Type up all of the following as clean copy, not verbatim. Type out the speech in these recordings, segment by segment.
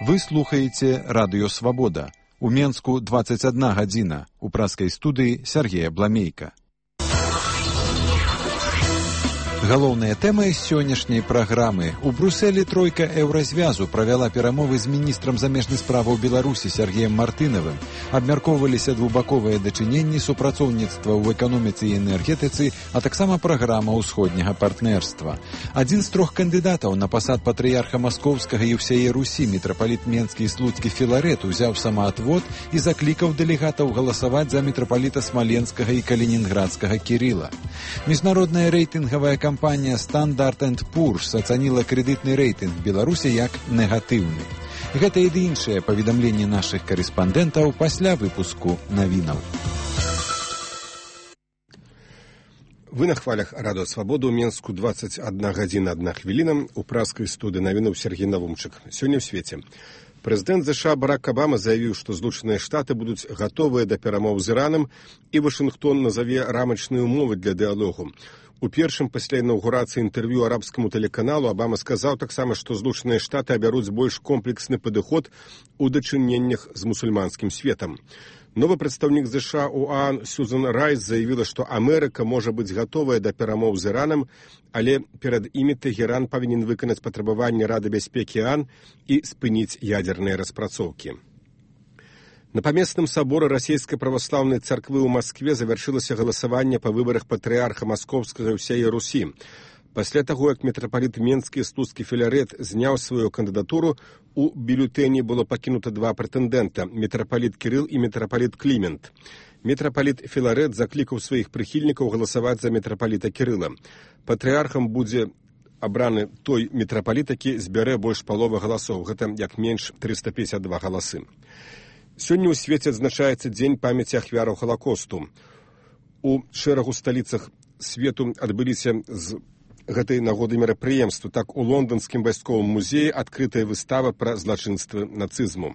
Вы слухаеце Радыё Свабода. У Менску 21 гадзіна. У праскай студыі Сергея Бламейка. Галоўная тэма сённяшняй праграмы. У Брусэлі тройка еўразвязу правяла перамовы з міністрам замежных справаў Беларусі Сергеем Мартынавым. Абмяркоўваліся двухбаковыя дачыненні, супрацоўніцтва ў эканоміцы і энергетыцы, а таксама праграма ўсходняга партнерства. Адзін з трох кандыдатаў на пасад патрыярха Маскоўскага і ўсяе Русі, мітрапаліт Менскі і Слуцкі Філарет, узяў самаатвод і заклікаў дэлегатаў галасаваць за мітрапаліта Смаленскага і Калінінградскага Кірыла. Міжнародная рэйтынгавая кампанія Standard & Poor's ацаніла крэдытны рэйтынг Беларусі як негатыўны. Гэта і іншыя паведамленні нашых карэспандэнтаў пасля выпуску навінаў. Вы на хвалях Радыё Свабода у Менску 21 гадзіна 1 хвіліна. У праскай студыі навінаў Сергей Навумчык. Сёння ў свеце. Прэзідэнт ЗША Барак Абама заявіў, што Злучаныя Штаты будуць гатовыя да перамоў з Іранам, і Вашынгтон назаве рамачныя ўмовы для дыялогу. У першым пасля інаўгурацыі інтэрв'ю арабскаму тэлеканалу Абама сказаў таксама, што Злучаныя Штаты абяруць больш комплексны падыход у дачыненнях з мусульманскім светам. Новы прадстаўнік ЗША ў ОАН Сьюзан Райс заявіла, што Амерыка можа быць гатовая да перамоў з Іранам, але перад імі Тэгеран павінен выканаць патрабаванні Рады бяспекі ОАН і спыніць ядзерныя распрацоўкі. На памесным саборы расійскай праваслаўнай царквы ў Маскве завяршылася галасаванне па выбарах патрыярха Маскоўскага і ўсяе Русі. Пасля таго, як мітрапаліт Менскі і Слуцкі Філарет зняў сваю кандыдатуру, у бюлетэні было пакінута два прэтэндэнта – мітрапаліт Кірыл і мітрапаліт Клімент. Мітрапаліт Філарет заклікаў сваіх прыхільнікаў галасаваць за мітрапаліта Кірыла. Патрыярхам будзе абраны той мітрапаліт, які збярэ больш паловы галасоў. Гэта як менш 352 галасы. Сёння ў свеце адзначаецца дзень памяці ахвяраў Халакосту. У шэрагу сталіцах свету адбыліся з гэтай нагоды мерапрыемствы. Так, у лонданскім вайсковым музеі адкрытая выстава пра злачынствы нацызму.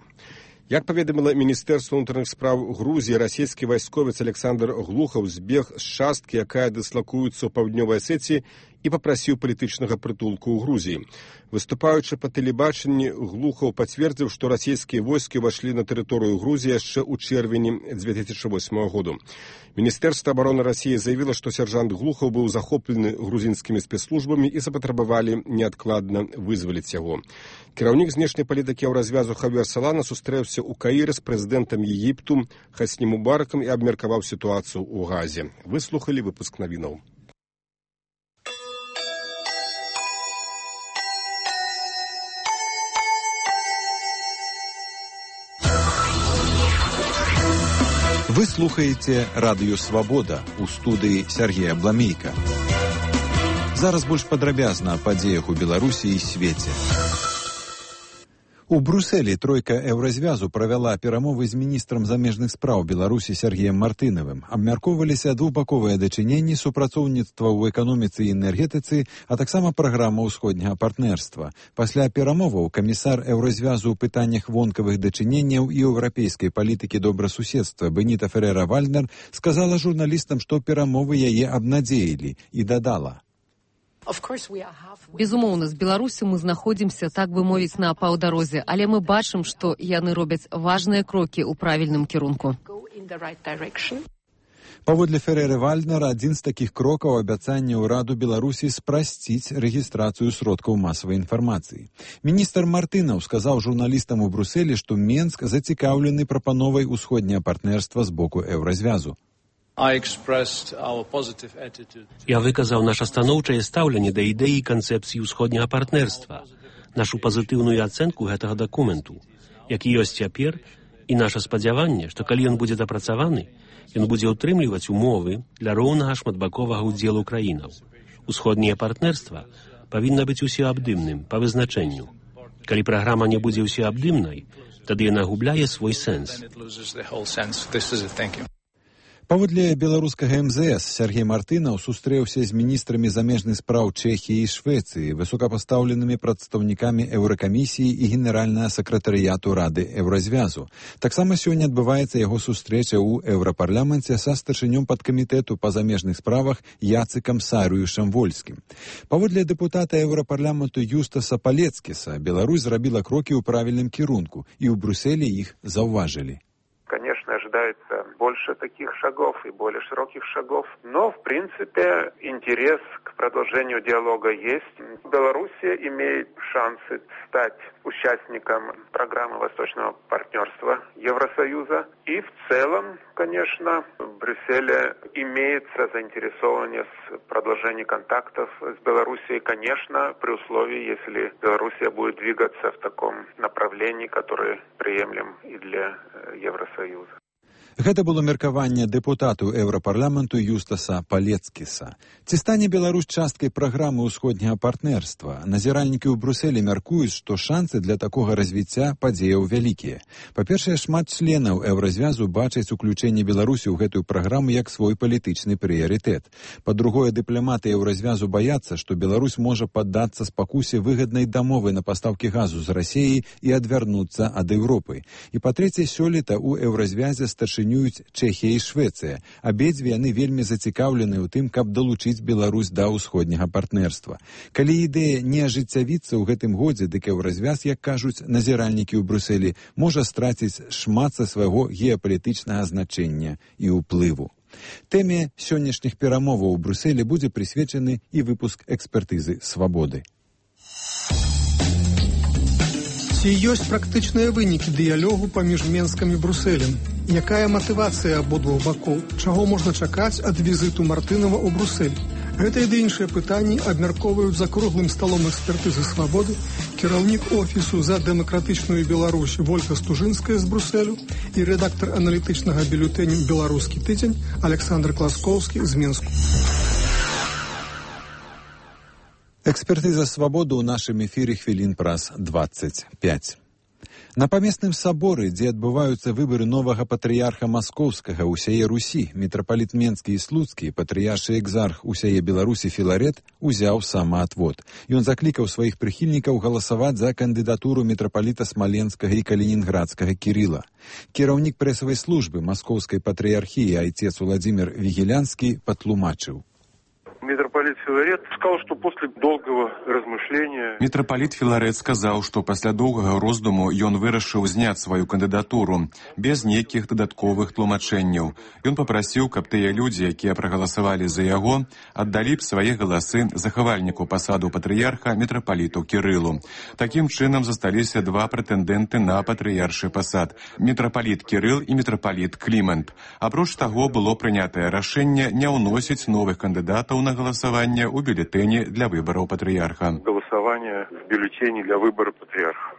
Як паведаміла Міністэрства ўнутраных спраў Грузіі, расійскі вайсковец Александр Глухаў збег з часткі, якая дыслакуецца ў паўднёвай Асетыі, і папрасіў палітычнага прытулку ў Грузіі. Выступаючы па тэлебачанні, Глухаў пацвердзіў, што расійскія войскі ўвайшлі на тэрыторыю Грузіі яшчэ ў чэрвені 2008 году. Міністэрства абароны Расіі заявіла, што сяржант Глухаў быў захоплены грузінскімі спецслужбамі і запатрабавалі неадкладна вызваліць яго. Кіраўнік знешняй палітыкі еўразвязу Хавер Салана сустрэўся ў Каіры з прэзідэнтам Егіпту Хасні Мубаракам і абмеркаваў сітуацыю ў Газе. Вы слухалі выпуск навінаў. Вы слухаеце Радыё Свабода. У студыі Сергея Бламейка. Зараз больш падрабязна о падзеях у Беларусі і свеце. У Брусэлі тройка еўразвязу правяла перамовы з міністрам замежных спраў Беларусі Сергеем Мартынавым. Абмяркоўваліся двухбаковыя дачыненні, супрацоўніцтва ў эканоміцы і энергетыцы, а таксама праграма ўсходняга партнерства. Пасля перамоваў камісар еўразвязу ў пытаннях вонкавых дачыненняў і еўрапейскай палітыкі добрасуседства Беніта Ферера-Вальднер сказала журналістам, што перамовы яе абнадзеілі, і дадала: Безумоўна, з Беларусі мы знаходзімся, так бы мовіць, на паўдарозе, але мы бачым, што яны робяць важныя крокі ў правільным кірунку. Паводле Фереры-Вальднера, адзін з такіх крокаў абяцанне ўраду Беларусі спрасціць рэгістрацыю сродкаў масавай інфармацыі. Міністр Мартынаў сказаў журналістам у Брусэлі, што Менск зацікаўлены прапановай усходняга партнерства з боку еўразвязу. Я выказаў наша станоўчае стаўленне да ідэі канцэпцыі ўсходняга партнерства, нашу пазітыўную ацэнку гэтага дакументу, які ёсць цяпер, і наша спадзяванне, што калі ён будзе дапрацаваны, ён будзе ўтрымліваць умовы для роўнага шматбаковага ўдзелу краінаў. Усходняе партнерства павінна быць усеабдымным па вызначэнню. Калі праграма не будзе усеабдымнай, тады яна губляе свой сэнс. Паводле беларускага МЗС Сергей Мартынаў сустрэўся з міністрамі замежных спраў Чэхіі і Швецыі, высокапастаўленымі прадстаўнікамі Еўракамісіі і генеральнага сакратарыяту Рады Еўразвязу. Таксама сёння адбываецца яго сустрэча ў Еўрапарламенце са старшынём падкамітэту па замежных справах Яцыкам Сарыюшам-Вольскім. Паводле дэпутата Еўрапарламенту Юстаса Палецкіса, Беларусь зрабіла крокі ў правільным кірунку, і ў Брюсселе іх заўважылі. Конечно, ожидается больше таких шагов и более широких шагов, но, в принципе, интерес к продолжению диалога есть. Белоруссия имеет шансы стать участником программы Восточного партнерства Евросоюза. И в целом, конечно, в Брюсселе имеется заинтересованность в продолжении контактов с Белоруссией, конечно, при условии, если Белоруссия будет двигаться в таком направлении, которое приемлем и для Евросоюза. Гэта было меркаванне дэпутату Еўрапарламенту Юстаса Палецкіса. Ці стане Беларусь часткай праграмы ўсходняга партнерства? Назіральнікі ў Брюсселе мяркуюць, што шансы для такога развіцця падзеяў вялікія. Па-першае, шмат членаў Еўразвязу бачаць уключэнне Беларусі ў гэтую праграму як свой палітычны прыярытэт. Па-другое, дыпламаты Еўразвязу баяцца, што Беларусь можа паддацца спакусе выгаднай дамовы на пастаўкі газу з Расіяй і адвярнуцца ад Еўропы. І па-трэцяе, сёлета ў Еўразвязе старшынёй Чэхія і Швецыя. Абедзве яны вельмі зацікаўлены ў тым, каб далучыць Беларусь да ўсходняга партнерства. Калі ідэя не ажыццявіцца ў гэтым годзе, дык Еўразвяз, як кажуць назіральнікі ў Брюсселе, можа страціць шмат са свайго геапалітычнага значэння і ўплыву. Тэме сённяшніх перамоваў у Брюсселе будзе прысвечаны і выпуск экспертызы «Свабоды». Ці ёсць практычныя вынікі дыялогу паміж Менскам і Брюсселем? Якая матывацыя абодвух бакоў? Чаго можна чакаць ад візіту Мартынава ў Брюссель? Гэта і іншыя пытанні абмяркоўваюць за круглым сталом экспертызы «Свабоды» кіраўнік офісу за дэмакратычную Беларусь Вольга Стужынская з Брюсселю і рэдактар аналітычнага бюлетэня «Беларускі тыдзень» Александр Класкоўскі з Менску. Экспертыза «Свабоды» ў нашым эфіры хвілін праз 25. На памесным саборы, дзе адбываюцца выбары новага патрыярха маскоўскага ўсяе Русі, мітрапаліт Менскі і Слуцкі, патрыяршы экзарх усяе Беларусі Філарет узяў самаатвод. Ён заклікаў сваіх прыхільнікаў галасаваць за кандыдатуру мітрапаліта Смаленскага і Калінінградскага Кірыла. Кіраўнік прэсавай службы маскоўскай патрыярхіі айцец Владзімір Вігелянскі патлумачыў. Митрополит Филарет сказал, что после долгого размышления... Митрополит Филарет сказал, что пасля доўгага роздуму ён вырашыў зняць сваю кандыдатуру без нейкіх дадатковых тлумачэнняў. Ён папрасіў, каб тыя людзі, якія прагаласавалі за яго, аддалі б свае галасы захавальніку пасаду патрыярха митрополіту Кірылу. Такім чынам засталіся два прэтэндэнты на патрыяршы пасад – митрополит Кірыл і митрополит Клімент. Апроч таго, было прынятае рашэнне не ўносіць новых кандыдатаў на голосование у бюллетене для выборов патриарха. Голосование в бюллетене для выбора патриарха.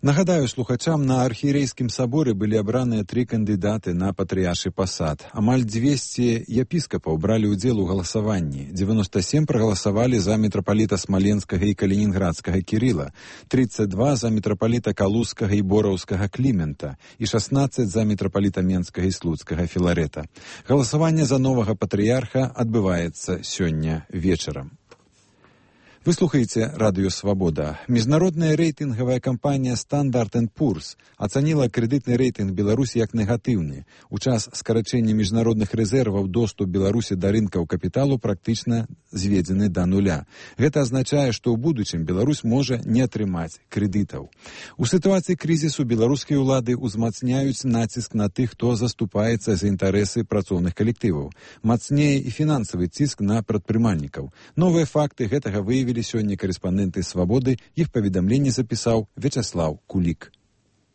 Нагадаю слухачам, на архієрейскім саборы былі абраныя 3 кандыдаты на патрыяршы пасад. Амаль 200 епіскапаў бралі ўдзел у галасаванні. 97 прагаласавалі за мітрапаліта Смаленскага і Калінінградскага Кірыла, 32 за мітрапаліта Калузскага і Бораўскага Клімента і 16 за мітрапаліта Менскага і Слуцкага Філарета. Галасаванне за новага патрыярха адбываецца сёння вечарам. Вы слухаеце радыё «Свабода». Міжнародная рэйтынгавая кампанія «Стандарт & Пурс» ацаніла крэдытны рэйтынг Беларусі як негатыўны. У час скарачэння міжнародных рэзерваў доступ Беларусі да рынкаў капіталу практычна зведзены да нуля. Гэта азначае, што ў будучым Беларусь можа не атрымаць крэдытаў. У сітуацыі крызісу беларускія ўлады ўзмацняюць націск на тых, хто заступаецца за інтарэсы працоўных калектываў. Мацнее і фінансавы ціск на прадпрымальнікаў. Новыя факты гэтага выявілі сёння корэспандэнты «Свабоды», іх паведамленне запісаў Вячаслаў Кулік.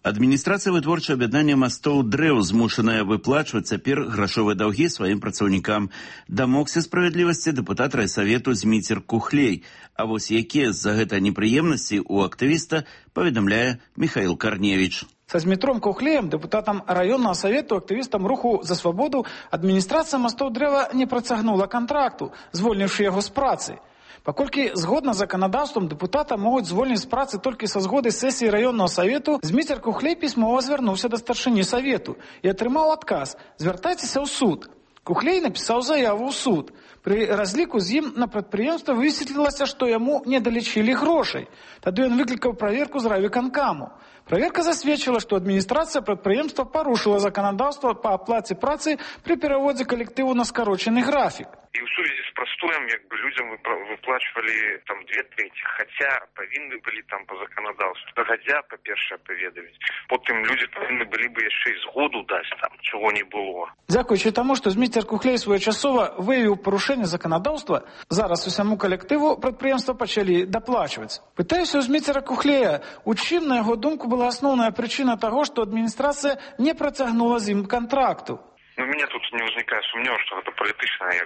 Адміністрацыя вытворчага аб'яднання мастоў «Дрэў» змушаная выплачваць цяпер грашовыя даўгі сваім працаўнікам. Дамогся справядлівасці дэпутат райсавету Зміцер Кухлей. А вось якія з-за гэта непрыемнасці у актывіста, паведамляе Михаил Карневіч. Со Змітром Кухлеем, депутатом районного совету, активистом руху за свободу, адміністрація Мостоў Дрэва не працягнула контракту, звольнивши його з праці. Паколькі згодна з законодаўством депутата могуць звольніць з працы толькі са згоды сесіі раённого совету, Зміцер Кухлей пісьмова звярнуўся да старшыні совету і атрымаў адказ: звяртайцеся ў суд. Кухлей напісаў заяву ў суд. Пры разліку з ім на прадпрыемства высветлілася, што яму не далічылі грошай. Тады ён выклікаў праверку з райвыканкаму. Праверка засведчыла, што адміністрацыя прадпрыемства парушыла законодаўства па аплаце працы пры пераводзе калектыву на скарочаны графік. І ў сувязі з прастоем людзям выплачвалі там 2/3, хаця павінны былі там па законодаўству дагадзя, па-першае, паведаміць. Потым людзі павінны былі бы яшчэ і згоду даць там, чаго не было. Дзякуючы таму, што Зміцер Кухлей своечасова выявіў парушэнне законодаўства, зараз усяму калектыву прадпрыемства пачалі даплачваць. Пытаюся ў Зміцера Кухлея, у чым, на яго думку, была асноўная прычына таго, што адміністрацыя не працягнула з ім контракту. У меня тут не возникает сумнева, что это политичное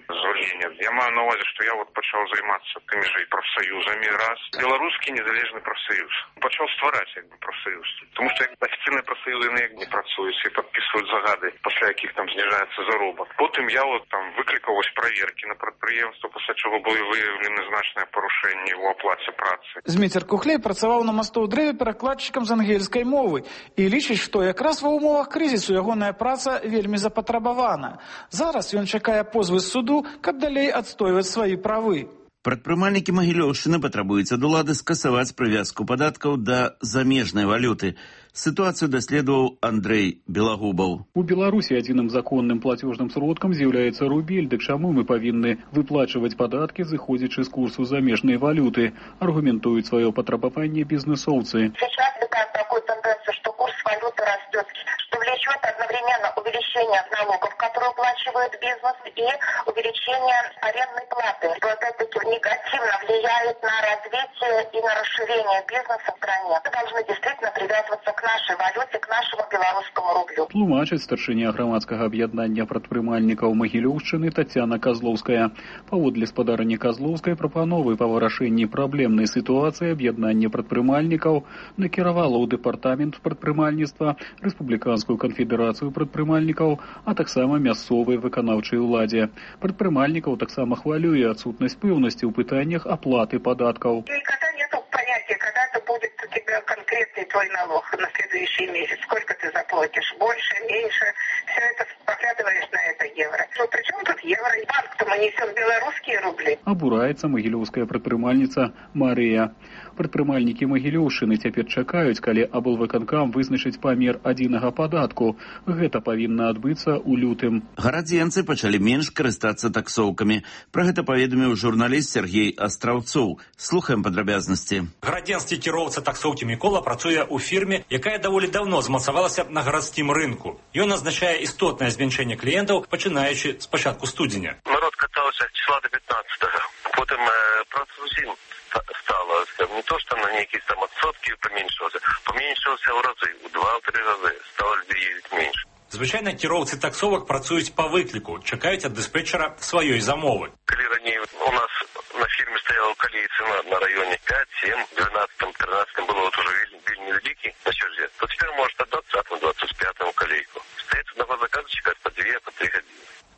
звольнение. Я маю на увазі, что я почав займатися тими же і профсоюзами раз. Белорусский незалежный профсоюз. Почав створять профсоюз. Тому що офіційні профсоюзи не працюють і підписують загади, після яких там знижається заробіток. Потім я там викликав ось перевірки на підприємство, після чого були виявлені значні порушення в оплаті праці. Зміцер Кухлей працював на Мостоў Дрэве перакладчиком з ангельської мови і лічить, що якраз ва умовах кризису ягоная праца вельмі запатрабавана. Зараз ён чакае позвы з суду, каб далей адстойваць свае правы. Прадпрымальнікі Магілёўшчыны патрабуюць ад улады скасаваць прывязку падаткаў да замежнай валюты. Ситуацию доследовал Андрей Белогубов. У Беларуси единым законным платежным сродком является рубель, так чему мы повинны выплачивать податки, заходячи с курсу замежной валюты, аргументуют свое потребование бизнесовцы. Сейчас наблюдаем такую тенденцию, что курс валюты растет, что влечет одновременно увеличение налогов, которые уплачивает бизнес, и увеличение арендной платы, что опять-таки негативно влияет на развитие и на расширение бизнеса в стране. Мы должны действительно привязываться к нашей валюте, к нашему белорусскому рублю. Тлумачыць старшыня грамадскага аб'яднання прадпрымальнікаў Магілёўшчыны Тацяна Казлоўская. Паводле спадарні Казлоўскай прапановы па вырашэнні праблемнай сітуацыі аб'яднання прадпрымальнікаў накіравала ў дэпартамент прадпрымальніцтва, Рэспубліканскую канфедэрацыю прадпрымальнікаў, а таксама мясцовай выканаўчай уладзе. Прадпрымальнікаў таксама хвалюе адсутнасць пэўнасці ў пытаннях аплаты падаткаў. Никогда нету понятия, когда это будет у тебя конкретный твой налог на следующий месяц. Сколько ты заплатишь? Больше, меньше. Все это поглядываешь на это евро. Ну, при чем тут евро? Банк-то мы несем белорусские рубли. Абураецца магілёўская прадпрымальніца Марыя. Прадпрымальнікі Магілёўшчыны цяпер чакаюць, калі аблвыканкам вызначыць памер адзінага падатку. Гэта павінна адбыцца ў лютым. Гарадзенцы пачалі менш карыстацца таксоўкамі. Пра гэта паведаміў журналіст Сергей Астраўцоў. Слухаем падрабязнасці. Гарадзенскі кіроўца таксоўкі Мікола працуе ў фірме, якая даволі даўно змацавалася на гарадскім рынку. Ён азначае істотнае зменшэнне кліентаў, пачынаючы з пачатку студзеня. Народ катаўся числа до 15-го. Потым праца зусім стала. Не то, что на некие там отсотки поменьшился в разы, в 2-3 разы. Стало людей ездить меньше. Звычайна кіроўцы таксовак працуюць па выкліку, чакаюць ад дыспетчера сваёй замовы. Калі раней у нас на фірме стояла колей цена на районе 5, 7, 12, 13 было вот уже вельми великий на черзе, то теперь может от 20 до 25 колейку. Стоит одного заказчика по 2, по 3 годины.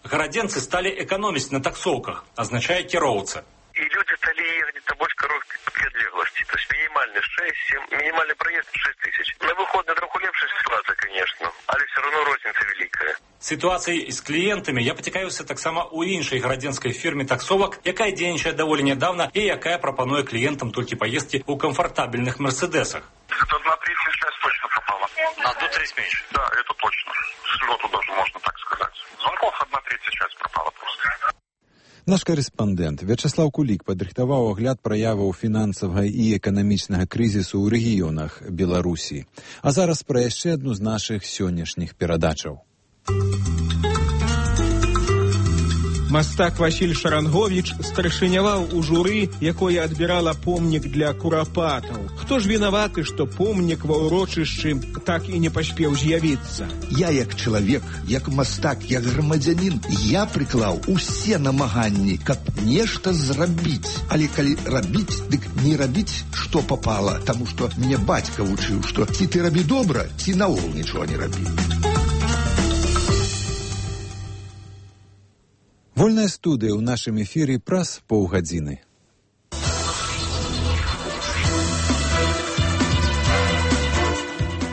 Гарадзенцы сталі эканоміць на таксоўках, азначае кіроўца. И люди стали ехать на больше короткой отлеглости. То есть минимальный 6-7, минимальный проезд 6 тысяч. На выходные троху лепшая ситуация, конечно, але все равно розница великая. Ситуацией з клієнтами я поцікавився таксама у іншій гарадзенській фірмі таксовак, яка дзейнічае даволі нядаўна і якая прапануе клієнтам толькі поездки у комфортабельных мерседесах. Это 1/3 связь точно пропала. На 1/3 меньше? Да, это точно. С лету даже можно так сказать. Звонков 1/3 часть пропала просто. Наш корэспандэнт Вячаслаў Кулік падрыхтаваў агляд праяваў фінансавага і эканамічнага крызісу ў рэгіёнах Беларусі. А зараз пра яшчэ адну з нашых сённяшніх перадачаў. Мастак Васіль Шаранговіч старшыняваў у журы, якое адбірала помнік для курапатаў. Хто ж вінаваты, што помнік ва ўрочышчы так і не паспеў з'явіцца? Я як чалавек, як мастак, як грамадзянін, я прыклаў усе намаганні, каб нешта зрабіць. Але калі рабіць, дык не рабіць, што папала, таму што мне бацька вучыў, што ці ты рабі добра, ці наогул нічога не рабі. Вольная студыя ў нашым эфіры праз паўгадзіны.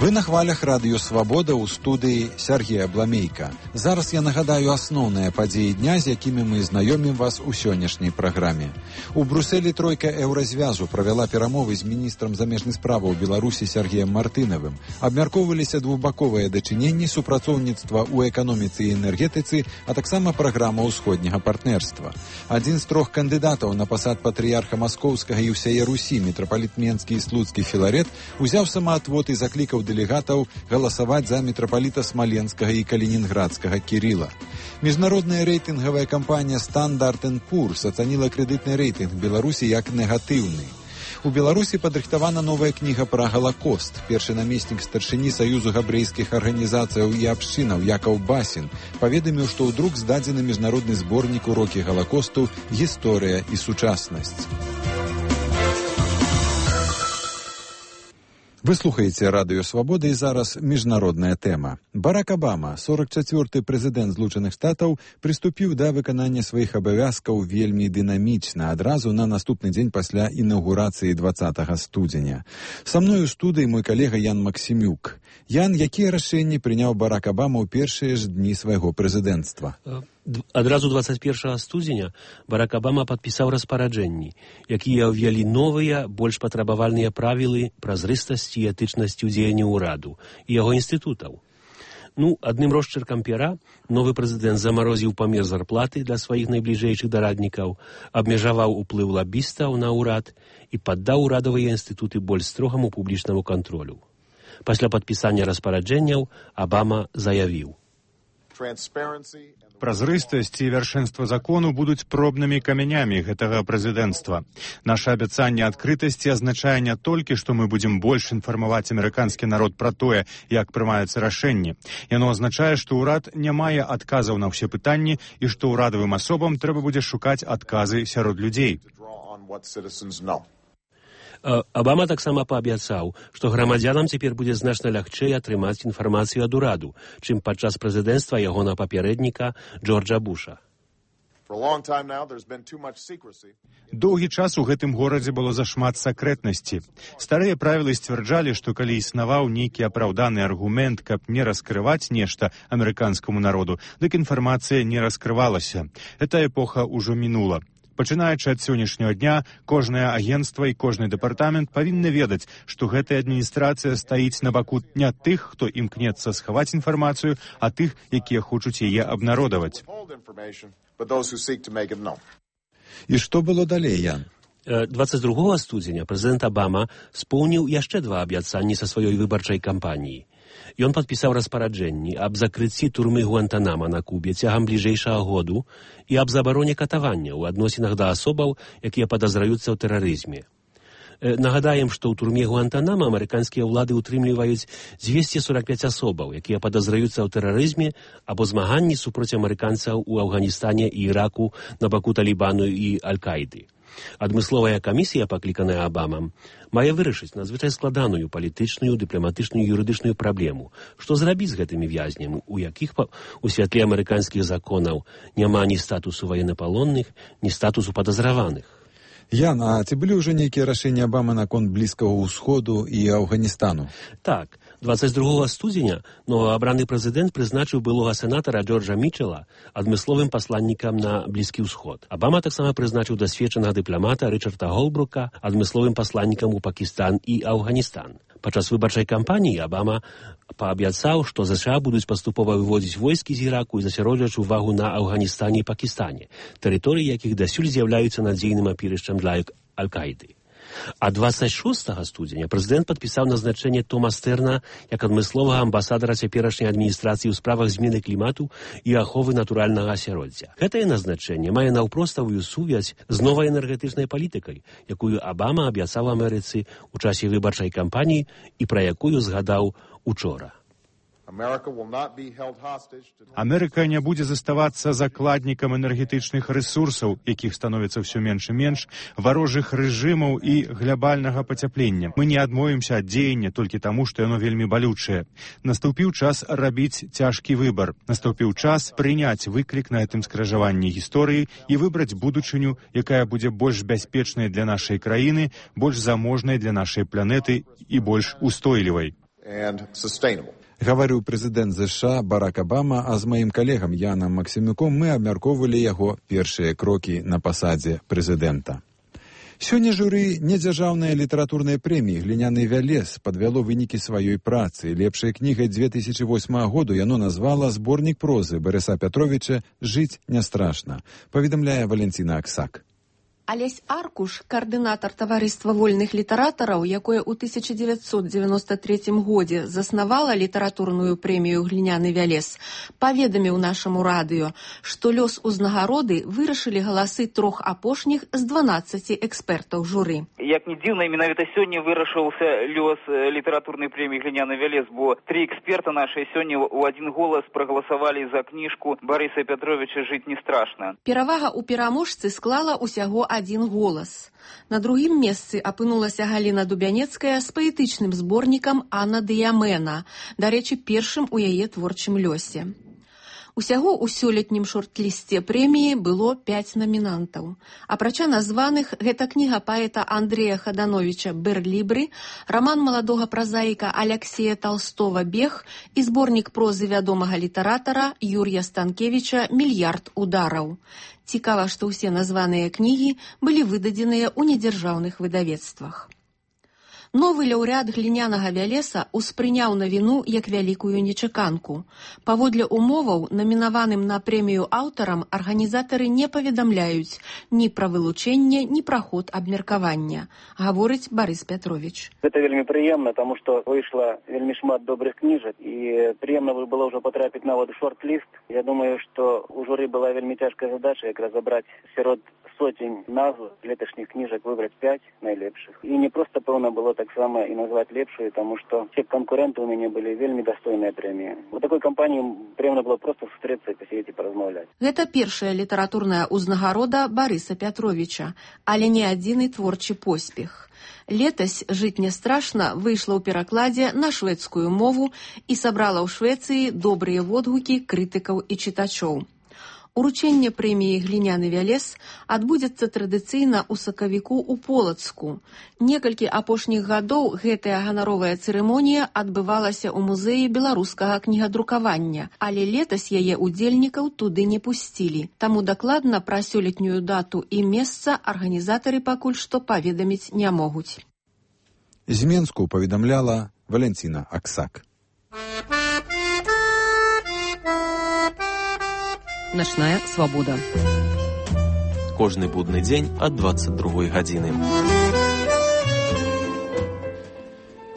Вы на хвалях радыё «Свабода» ў студыі Сергея Бламейка. Зараз я нагадаю асноўныя падзеі дня, з якімі мы знаёмім вас у сённяшняй праграме. У Брусэлі тройка Еўразвязу правяла перамовы з міністрам замежных справаў Беларусі Сергеем Мартынавым. Абмяркоўваліся двухбаковыя дачыненні, супрацоўніцтва ў эканоміцы і энергетыцы, а таксама праграма ўсходняга партнерства. Адзін з трох кандыдатаў на пасад патрыярха Маскоўскага і ўсяе Русі, мітрапаліт Менскі і Слуцкі Філарет, узяў самаатвод і заклікаў дэлегатаў галасаваць за мітрапаліта Смаленскага і Калінінградскага Кіріла. Міжнародная рэйтынгавая кампанія Standard & Poor's ацаніла крэдытны рэйтынг Беларусі як негатыўны. У Беларусі падрыхтавана новая кніга пра Галакост. Першы намеснік старшыні Саюзу габрэйскіх арганізацыяў і абшчынаў Якаў Басін паведаміў, што ў друк здадзены міжнародны зборнік урокі Галакосту «Гісторыя і сучаснасць». Вы слухаеце радыё «Свабода» і зараз міжнародная тэма. Барак Абама, 44-й прэзідэнт Злучаных Штатаў, прыступіў да выканання сваіх абавязкаў вельмі дынамічна, адразу на наступны дзень пасля інаўгурацыі 20 студзеня. Са мной у студыі мой калега Ян Максімюк. Ян, якія рашэнні прыняў Барак Абама ў першыя ж дні свайго прэзідэнцтва? Адразу 21 студзеня Барак Абама падпісаў распараджэнні, якія ўвялі новыя, больш патрабавальныя правілы празрыстасці і этычнасці ў дзеянні ўраду і яго інстытутаў. Адным росчыркам пера новы прэзідэнт замарозіў памер зарплаты для сваіх найбліжэйшых дараднікаў, абмежаваў уплыў лабістаў на ўрад і паддаў урадавыя інстытуты больш строгаму публічнаму кантролю. Пасля падпісання распараджэнняў Абама заявіў: Празрыстасць і вяршэнства закону будуць пробнымі камянямі гэтага прэзідэнцтва. Наша абяцанне адкрытасці азначае не толькі, што мы будзем больш інфармаваць амерыканскі народ пра тое, як прымаюцца рашэнні. Яно азначае, што ўрад не мае адказаў на ўсе пытанні і што ўрадавым асобам трэба будзе шукаць адказы сярод людзей. Абама таксама паабяцаў, што грамадзянам цяпер будзе значна лягчэй атрымаць інфармацыю ад ураду, чым падчас прэзідэнцтва ягонага папярэдніка Джорджа Буша. Доўгі час у гэтым горадзе было зашмат сакрэтнасці. Старыя правілы сцвярджалі, што калі існаваў нейкі апраўданы аргумент, каб не раскрываць нешта амерыканскаму народу, дык інфармацыя не раскрывалася. Эта эпоха ўжо мінула. Пачынаючы ад сённяшняга дня, кожнае агенцтва і кожны дэпартамент павінны ведаць, што гэтая адміністрацыя стаіць на баку не тых, хто імкнецца схаваць інфармацыю, а тых, якія хочуць яе абнародаваць. І што было далей, Ян? 22 студзеня прэзідэнт Абама споўніў яшчэ два абяцанні са сваёй выбарчай кампаніі. Ён падпісаў распараджэнні аб закрыцці турмы Гуантанама на Кубе цягам бліжэйшага году і аб забароне катавання ў адносінах да асобаў, якія падазраюцца ў тэрарызме. Нагадаем, што ў турме Гуантанама амерыканскія ўлады ўтрымліваюць 245 асобаў, якія падазраюцца ў тэрарызме або змаганні супроць амерыканцаў у Афганістане і Іраку на баку Талібану і Аль-Каіды. Адмысловая камісія, пакліканая Абамам, мае вырашыць надзвычай складаную палітычную, дыпламатычную і юрыдычную праблему. Што зрабіць з гэтымі вязнямі, у якіх у святле амерыканскіх законаў няма ні статусу военнапалонных, ні статусу падазраваных. Ян, а ці былі ўжо нейкія рашэнні Абамы наконт Блізкага ўсходу і Афганістану? Так, 22 студзеня новаабраны прэзідэнт прызначыў былога сенатара Джорджа Мічэла адмысловым пасланнікам на Блізкі ўсход. Абама таксама прызначыў дасведчанага дыпламата Рычарда Голбрука адмысловым пасланнікам у Пакістан і Афганістан. Падчас выбарчай кампаніі Абама паабяцаў, што ЗША будуць паступова выводзіць войскі з Іраку і засяроджваць увагу на Афганістане і Пакістане, тэрыторыі якіх дасюль з'яўляюцца надзейным апірышчам для Аль-Каіды. А 26 студзеня прэзідэнт падпісаў назначэнне Тома Стэрна як адмысловага амбасадара цяперашняй адміністрацыі ў справах змены клімату і аховы натуральнага асяроддзя. Гэтае назначэнне мае наўпроставую сувязь з новай энергетычнай палітыкай, якую Абама абяцаў Амерыцы ў часе выбарчай кампаніі і пра якую згадаў учора. Амерыка не будзе заставацца закладнікам энергетычных рэсурсаў, якіх становіцца ўсё менш і менш, варожых рэжымаў і глябальнага пацяплення. Мы не адмовімся ад дзеяння толькі таму, што яно вельмі балючае. Наступіў час рабіць цяжкі выбар. Наступіў час прыняць выклік на гэтым скражаванні гісторыі і выбраць будучыню, якая будзе больш бяспечнай для нашай краіны, больш заможнай для нашай планеты і больш устойлівай. Гаварыў прэзідэнт ЗША Барак Абама, а з маім калегам Янам Максімюком мы абмяркоўвалі яго першыя крокі на пасадзе прэзідэнта. Сёння журы недзяржаўнай літаратурнай прэміі «Гліняны вялес» падвяло вынікі сваёй працы. Лепшай кнігай 2008 году яно назвала зборнік прозы Барыса Пятровіча «Жыць не страшна», паведамляе Валенціна Аксак. Алесь Аркуш, каардынатар таварыства вольных літаратараў, якое ў 1993 годзе заснавала літаратурную прэмію «Гліняны вялес», паведаміў нашаму радыё, што лёс узнагароды вырашылі галасы 3 апошніх з 12 экспертаў журы. Як не дзіўна, менавіта сёння вырашыўся лёс літаратурнай прэміі «Гліняны вялес», бо 3 эксперта нашыя сёння ў адзін голас прагаласавалі за кніжку Барыса Пятровіча «Жыць не страшна». Перавага ў пераможцы склала ўсяго один голас. На другім месцы апынулася Галіна Дубянецкая з паэтычным зборнікам «Анна Дыямена», дарэчы, першым у яе творчым лёсе. Усяго ў сёлетнім шорт-лісце прэміі было 5 намінантаў. Апрача названых, гэта кніга паэта Андрэя Хадановіча «Берлібры», раман маладога празаіка Аляксея Талстова «Бег» і зборнік прозы вядомага літаратара Юрія Станкевіча «Мільярд удараў». Цікава, што ўсе названыя кнігі былі выдадзеныя ў недзяржаўных выдавецтвах. Новы лаўрэат «Глінянага вялеса» успрыняў навіну як вялікую нечаканку. Паводле умоваў, намінаваным на прэмію аўтарам, арганізатары не паведамляюць ні пра вылучэнне, ні пра ход абмеркавання, гаворыць Барыс Пятровіч. Гэта вельмі прыемна, таму што выйшла вельмі шмат добрых кніжак, і прыемна было ўжо патрапіць нават у шорт-ліст. Я думаю, што у журы была вельмі цяжкая задача як разабраць сярод сотень назв леташніх кніжак выбраць 5 найлепшых. І не проста, пэўна, было таксама і назваць лепшую, таму што все канкуренты ў мяне былі вельмі дастойныя прэміі. У такой кампаніі прыемна было проста сустрэцца і пасядзець і паразмаўляць. Гэта першая літаратурная ўзнагарода Барыса Пятровіча, але не адзіны творчы поспех. Летась «Жыць не страшна» выйшла ў перакладзе на шведскую мову і сабрала ў Швецыі добрыя водгукі крытыкаў і чытачоў. Уручэнне прэміі «Гліняны вялес» адбудзецца традыцыйна ў сакавіку ў Полацку. Некалькі апошніх гадоў гэтая ганаровая цырымонія адбывалася ў музеі беларускага кнігадрукавання, але летась яе удзельнікаў туды не пусцілі. Таму дакладна пра сёлетнюю дату і месца арганізатары пакуль што паведаміць не могуць. З Менску паведамляла Валенціна Аксак. Начная свабода. Кожны будны дзень ад 22 гадзіны.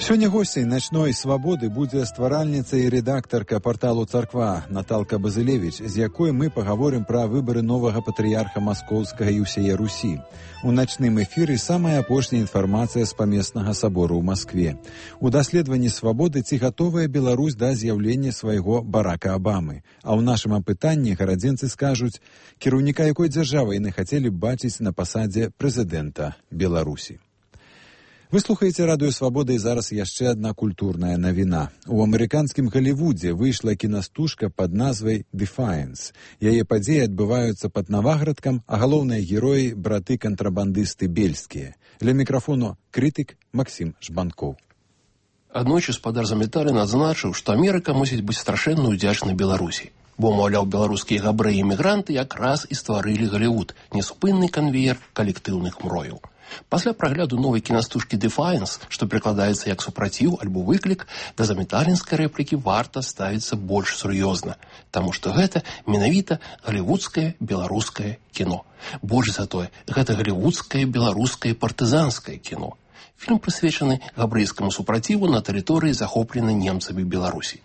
Сёння госцей начной свабоды будзе стваральніца і рэдактарка парталу «Царква» Наталка Базылевіч, з якой мы пагаворым пра выбары новага патрыярха Маскоўскага і ўсяе Русі. У начным эфіры самая апошняя інфармацыя з памеснага сабору ў Маскве. У даследаванні свабоды ці гатовая Беларусь да з'яўлення свайго Барака Абамы. А ў нашым апытанні гарадзенцы скажуць, кіраўніка якой дзяржавы яны хацелі б бачыць на пасадзе прэзідэнта Беларусі. Вы слухаеце радыё «Свабода» і зараз яшчэ адна культурная навіна. У амерыканскім Галівудзе выйшла кінастужка пад назвай «Defiance». Яе падзеі адбываюцца пад Наваградкам, а галоўныя героі – браты-кантрабандысты бельскія. Ля мікрафону крытык Максім Жбанкоў. Аднойчы спадар Заметалін адзначыў, што Амерыка мусіць быць страшэнна ўдзячнай Беларусі. Бо, маўляў, беларускія габрэі-імігранты якраз і стварылі Галівуд – неспынны канвеер калектыўных мрояў. Пасля прагляду новай кінастужкі «Defiance», што прыкладаецца як супраціў альбо выклік, да заметалінскай рэплікі варта ставіцца больш сур'ёзна, таму што гэта менавіта галівудскае беларускае кіно. Больш за тое, гэта галівудскае беларускае партызанскае кіно. Фільм прысвечаны габрэйскаму супраціву на тэрыторыі, захопленай немцамі Беларусі.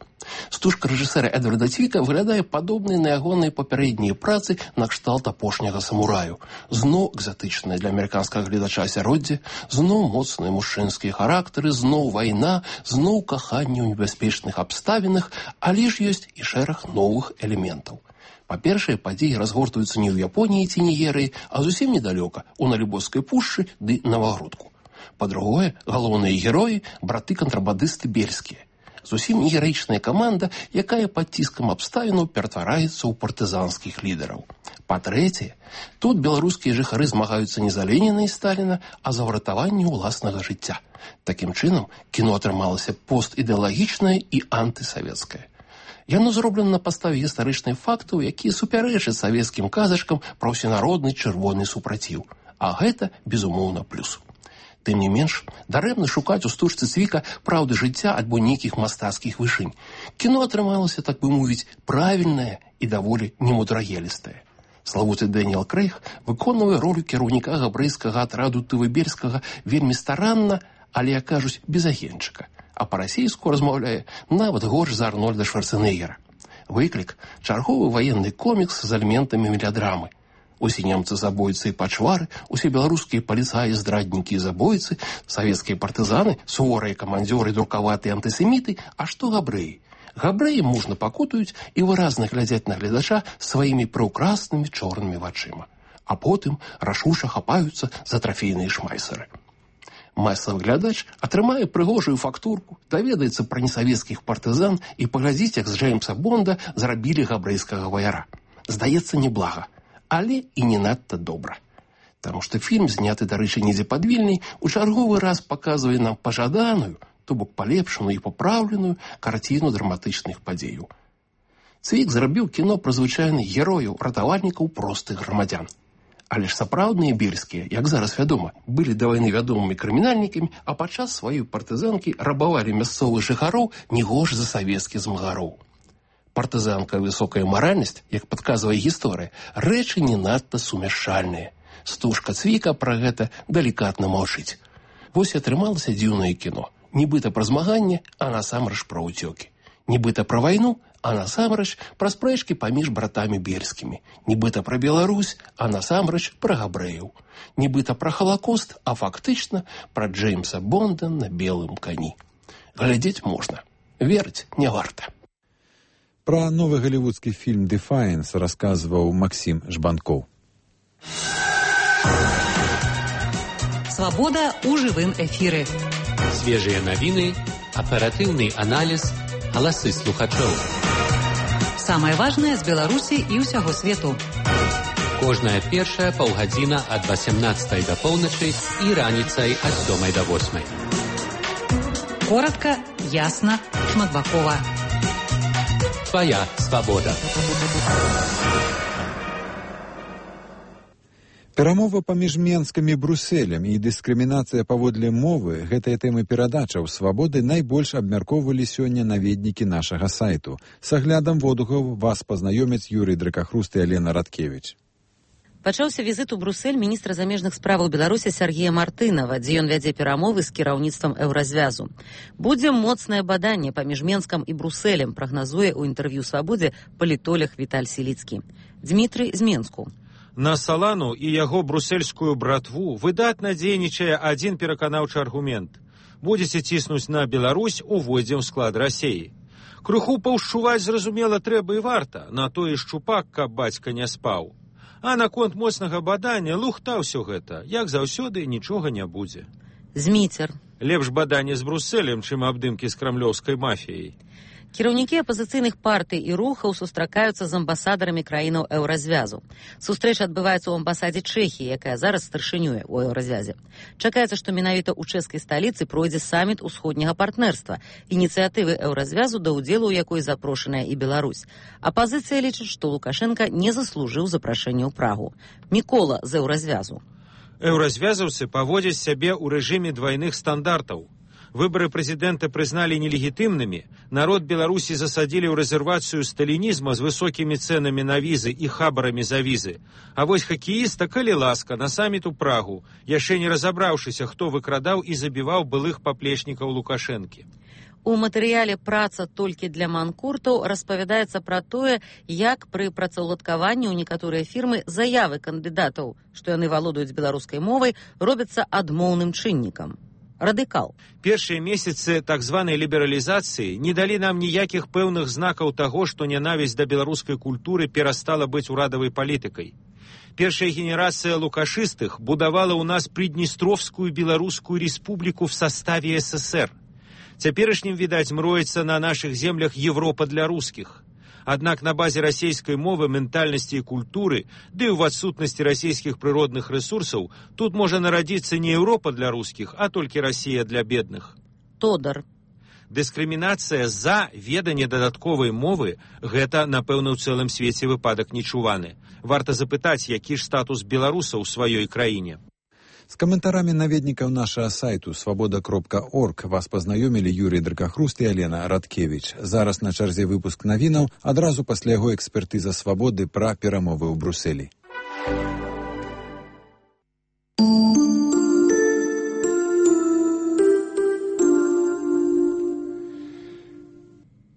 Стужка рэжысэра Эдварда Цвіка выглядае падобнай на ягоныя папярэднія працы на кшталт апошняга самураю. Зноў экзатычнае для амерыканскага гледача асяроддзе, зноў моцныя мужчынскія характары, зноў вайна, зноў каханне ў небяспечных абставінах, але ж ёсць і шэраг новых элементаў. Па-першае, падзеі разгортваюцца не ў Японіі ці Нігерыі, а зусім недалёка, у Налібоцкай пушчы ды Навагрудку. Па-другое, галоўныя героі – браты-кантрабандысты бельскія. Зусім не гераічная каманда, якая пад ціскам абставінаў ператвараецца ў партызанскіх лідараў. Па-трэцяе, тут беларускія жыхары змагаюцца не за Леніна і Сталіна, а за выратаванне ўласнага жыцця. Такім чынам, кіно атрымалася постідэалагічнае і антысавецкае. Яно зроблена на падставе гістарычных фактаў, якія супярэчаць савецкім казачкам пра ўсенародны чырвоны супраціў. А гэта, безумоўна, плюс. Тым не менш, дарэмна шукаць у стужцы Цвіка праўды жыцця альбо нейкіх мастацкіх вышынь. Кіно атрымалася, так бы мовіць, правільнае і даволі немудрагелістае. Славуты Дэніел Крэйг выконвае ролю кіраўніка габрэйскага атраду Тывыберскага вельмі старанна, але, як кажуць, без агенчыка. А па-расейску размаўляе нават горш за Арнольда Шварцэнеггера. Выклік – чарговы ваенны комікс з элементамі мелядрамы. Усе немцы забойцы і пачвары, усе беларускія паліцаі, здраднікі і забойцы, савецкія партызаны, суворыя камандзёры, друкаватыя антысеміты, а што габрэі? Габрэі мужна пакутаюць і выразна глядзяць на гледача сваімі прыўкраснымі чорнымі вачыма. А потым рашуша хапаюцца за трафейныя шмайсеры. Масавы глядач атрымае прыгожую фактурку, даведаецца пра несавецкіх партызан і паглядзіць, як з Джеймса Бонда зрабілі габрэйскага ваяра. Здаецца, неблага. Але і не надта добра. Таму што фільм, зняты, дарэчы, недзе пад Вільняй, у чарговы раз паказвае нам пажаданую, то бок палепшаную і папраўленую карціну драматычных падзеяў. Цвік зрабіў кіно пра звычайных герояў, ратавальнікаў простых грамадзян. Але ж сапраўдныя бельскія, як зараз вядома, былі да вайны вядомымі крымінальнікамі, а падчас сваёй партызанкі рабавалі мясцовых жыхароў не горш за савецкіх змагароў. Партызанка і высокая маральнасць, як падказвае гісторыя, рэчы не надта сумяшчальныя. Стужка Цвіка пра гэта далікатна маўчыць. Вось і атрымалася дзіўнае кіно. Нібыта пра змаганне, а насамрэч пра ўцёкі. Нібыта пра вайну, а насамрэч пра спрэчкі паміж братамі бельскімі. Нібыта пра Беларусь, а насамрэч пра габрэяў. Нібыта пра Халакост, а фактычна пра Джеймса Бонда на белым кані. Глядзець можна. Верыць не варта. Пра новы галівудскі фільм «Defiance» расказваў Максім Жбанкоў. Свабода ў жывым эфіры. Свежыя навіны, аператыўны аналіз, галасы слухачоў. Самае важнае з Беларусі і ўсяго свету. Кожная першая паўгадзіна ад 18 да поўначы і раніцай ад 7 да 8. Коратка, ясна, шматбакова. Твоя свабода. Перамова паміж Менскам і Брусэлем і дыскрымінацыя паводле мовы, гэтыя тэмы перадачаў свабоды найбольш абмяркоўвалі сёння наведнікі нашага сайту. С аглядам водгулаў вас пазнаёмяць Юрый Дракахруст і Алена Радкевіч. Пачаўся візіт у Брусэль міністра замежных справаў Беларусі Сергея Мартынова, дзе ён вядзе перамовы з кіраўніцтвам Еўразвязу. Будзе моцнае баданне паміж Менскам і Брусэлем, прагназуе ў інтэрв'ю «Свабодзе» палітолог Віталь Сіліцкі. Дмітрый з Менску. На Салану і яго брусельскую братву выдатна дзейнічае адзін пераканаўчы аргумент. Будзеце ціснуць на Беларусь, увойдзем у склад Расеі. Крыху паўшчуваць, зразумела, трэба і варта, на тое шчупак, каб бацька не спаў. А наконт моцнага бадання лухта ўсё гэта. Як заўсёды, нічога не будзе. Зміцер. Лепш баданне з Брусэлем, чым абдымкі з крамлёўскай мафіяй. Кіраўнікі апазіцыйных партый і рухаў сустракаюцца з амбасадарамі краінаў Еўразвязу. Сустрэча адбываецца ў амбасадзе Чэхіі, якая зараз старшынюе ў Еўразвязе. Чакаецца, што менавіта ў чэшскай сталіцы пройдзе саміт усходняга партнерства, ініцыятывы Еўразвязу, да ўдзелу ў якой запрошаная і Беларусь. Апазіцыя лічыць, што Лукашенка не заслужыў запрашэння ў Прагу. Мікола з Еўразвязу. Еўразвязаўцы паводзяць сябе ў рэжыме двайных стандартаў. Выборы прэзідэнта прызналі нелегітымнымі, народ Беларусі засадзілі ў рэзервацыю сталінізма з высокімі цэнамі на візы і хабарамі за візы. А вось хакеіста, калі ласка, на саміт у Прагу, яшчэ не разабраўшыся, хто выкрадаў і забіваў былых паплечнікаў Лукашэнкі. У матэрыяле «Праца толькі для манкуртаў» распавядаецца пра тое, як пры працаўладкаванні ў некаторыя фірмы заявы кандыдатаў, што яны валодаюць беларускай мовай, робяцца адмоўным чыннікам. Радыкал. Першыя месяцы так званай лібералізацыі не далі нам ніякіх пэўных знакаў таго, што нянавісць да беларускай культуры перастала быць урадавай палітыкай. Першая генерацыя лукашыстых будавала ў нас Приднестровскую беларускую республіку в составе СССР. Цяперашнім, відаць, мроецца на нашых землях Европа для рускіх. Аднак на базе расійскай мовы, ментальнасці і культуры, ды і ў адсутнасці расійскіх прыродных рэсурсаў, тут можа нарадзіцца не Еўропа для рускіх, а толькі Расія для бедных. Тодар. Дыскрымінацыя за веданне дадатковай мовы – гэта, напэўна, ў цэлым свеце выпадак нечуваны. Варта запытаць, які ж статус беларусаў у сваёй краіне. З каментарамі наведнікаў нашага сайту свабода.орг вас пазнаёмілі Юрій Дракахруст і Алена Радкевіч. Зараз на чарзе выпуск навінаў, адразу пасля яго экспертыза «Свабоды» пра перамовы ў Брусэлі.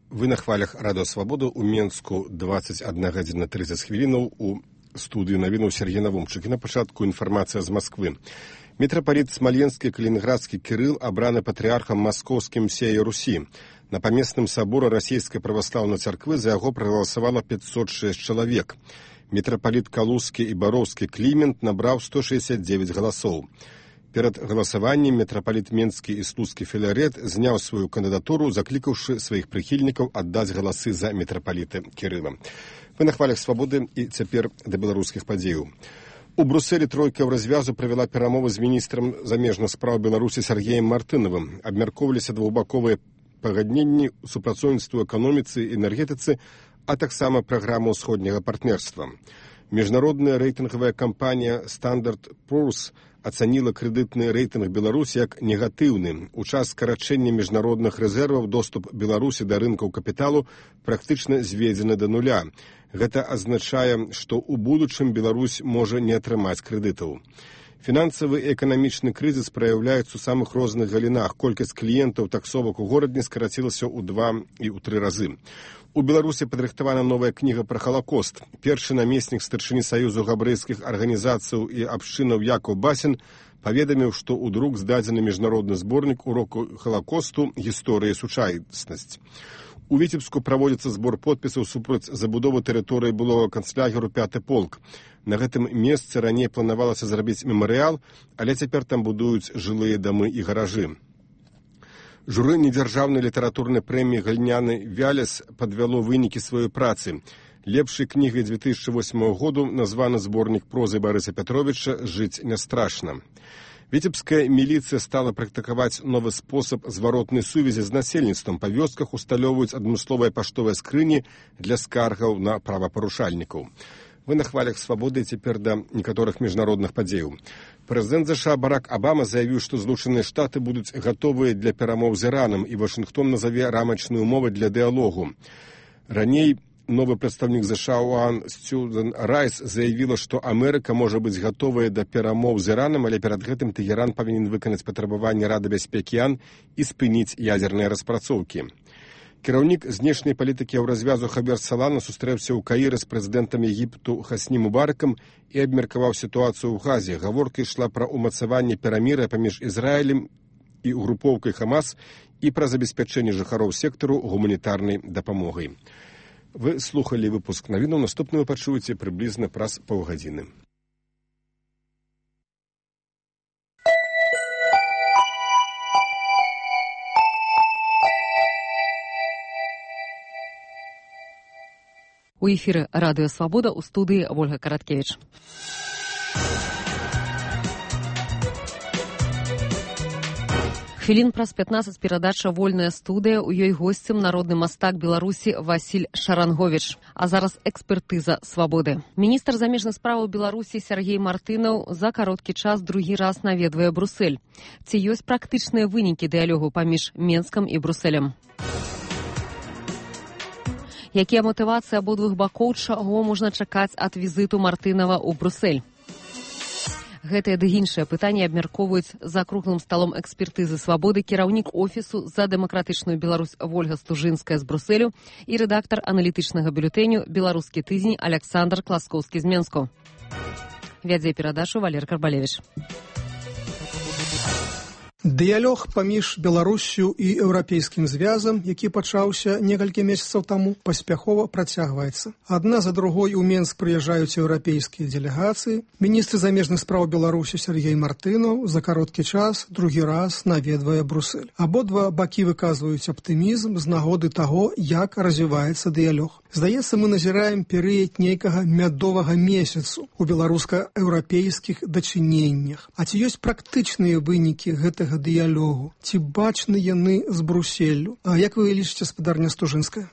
Вы на хвалях Радыё Свабода ў Менску 21 гадзіна 30 хвілінаў у студыю навінаў Сергей Навумчык. І на пачатку інфармацыя з Масквы. Мітрапаліт Смаленскі Калінінградскі Кірыл абраны патрыархам маскоўскім всея Русі. На памесным саборы расійскай праваслаўнай царквы за яго прагаласавала 506 чалавек. Мітрапаліт Калузскі і Бароўскі Клімент набраў 169 галасоў. Перад галасаваннем мітрапаліт Менскі і Слуцкі Філарет зняў сваю кандыдатуру, заклікаўшы сваіх прыхільнікаў аддаць галасы за мітрапаліта Кірыла. Вы на хвалях Свабоды і цяпер да беларускіх падзеяў. У Брусэлі тройка развязу правяла перамовы з міністрам замежных спраў Беларусі Сергеем Мартынавым. Абмяркоўваліся двухбаковыя пагадненні, супрацоўніцтва ў эканоміцы і энергетыцы, а таксама праграма ўсходняга партнерства. Міжнародная рэйтынгавая кампанія Standard & Poor's ацаніла крэдытны рэйтынг Беларусі як негатыўны. У час скарачэння міжнародных рэзерваў доступ Беларусі да рынкаў капіталу практычна зведзены да нуля. Гэта азначае, што ў будучым Беларусь можа не атрымаць крэдытаў. Фінансавы і эканамічны крызіс праяўляецца ў самых розных галінах. Колькасць кліентаў таксовак у горадні скарацілася ў 2 і ў 3 разы. У Беларусі падрыхтавана новая кніга пра Халакост. Першы намеснік старшыні Саюзу габрэйскіх арганізацыяў і абшчынаў Якаў Басін паведаміў, што ў друк здадзены міжнародны зборнік уроку Халакосту «Гісторыя і сучаснасць». У Віцебску праводзіцца збор подпісаў супраць забудовы тэрыторыі былога канцлягеру 5-й полк. На гэтым месцы раней планавалася зрабіць мемарыял, але цяпер там будуюць жылыя дамы і гаражы. Журы недзяржаўнай літаратурнай прэміі «Гліняны Вялес» падвяло вынікі сваёй працы. Лепшай кнігай 2008 году названы зборнік прозы Барыса Пятровіча «Жыць не страшна». Віцебская міліцыя стала практыкаваць новы спосаб зваротнай сувязі з насельніцтвам. Па вёсках усталёўваюць адмысловыя паштовыя скрыні для скаргаў на правапарушальнікаў. Вы на хвалях Свабоды цяпер да некаторых міжнародных падзеяў. Прэзідэнт США Барак Абама заявіў, што Злучаныя Штаты будуць гатовыя для перамоў з Іранам, і Вашынгтон назаве рамачныя ўмовы для дыялогу. Раней новы прадстаўнік США ОАН Сьюзан Райс заявіла, што Амерыка можа быць гатовая да перамоў з Іранам, але перад гэтым Тэгеран павінен выканаць патрабаванні Рады бяспекі ОАН і спыніць ядзерныя распрацоўкі. Кіраўнік знешняй палітыкі Еўразвязу Хабер Салана сустрэўся ў Каіры з прэзідэнтам Егіпту Хасні Мубаракам і абмеркаваў сітуацыю ў Газе. Гаворка ішла пра ўмацаванне перамір'я паміж Ізраілем і групоўкай Хамас і пра забеспячэнне жыхароў сектару гуманітарнай дапамогай. Вы слухалі выпуск навінаў, наступны вы пачуеце прыблізна праз паўгадзіны. У эфіры Радыё Свабода, у студыі Ольга Караткевіч. Хвілін праз 15 перадача «Вольная студыя». У ёй госцем народны мастак Беларусі Васіль Шаранговіч. А зараз экспертыза «Свабоды». Міністр замежных справаў Беларусі Сергей Мартынаў за кароткі час другі раз наведвае Брусэль. Ці ёсць практычныя вынікі дыялогу паміж Менскам і Брусэлем? Якія матывацыі абодвух бакоў, чаго можна чакаць ад візіту Мартынава ў Брусэль? Гэтыя ды іншыя пытанні абмяркоўваюць за круглым сталом экспертызы «Свабоды» кіраўнік офісу за дэмакратычную Беларусь Вольга Стужынская з Брусэлю і рэдактар аналітычнага бюлетэню «Беларускі тыдзень» Александр Класкоўскі з Менску. Вядзе перадачу Валер Карбалевіч. Дыялог паміж Беларуссю і Еўрапейскім звязам, які пачаўся некалькі месяцаў таму, паспяхова працягваецца. Адна за другой у Менск прыязджаюць еўрапейскія дэлегацыі. Міністр замежных спраў Беларусі Сергей Мартынаў за кароткі час другі раз наведвае Брусэль. Абодва бакі выказваюць аптымізм з нагоды таго, як развіваецца дыялог. Здаецца, мы назіраем перыяд нейкага мядовага месяцу у беларуска-еўрапейскіх дачыненнях. А ці ёсць практычныя вынікі гэтага дыялогу? Ці бачны яны з Брусэллю? А як вы лічыце, спадарня Стужынская?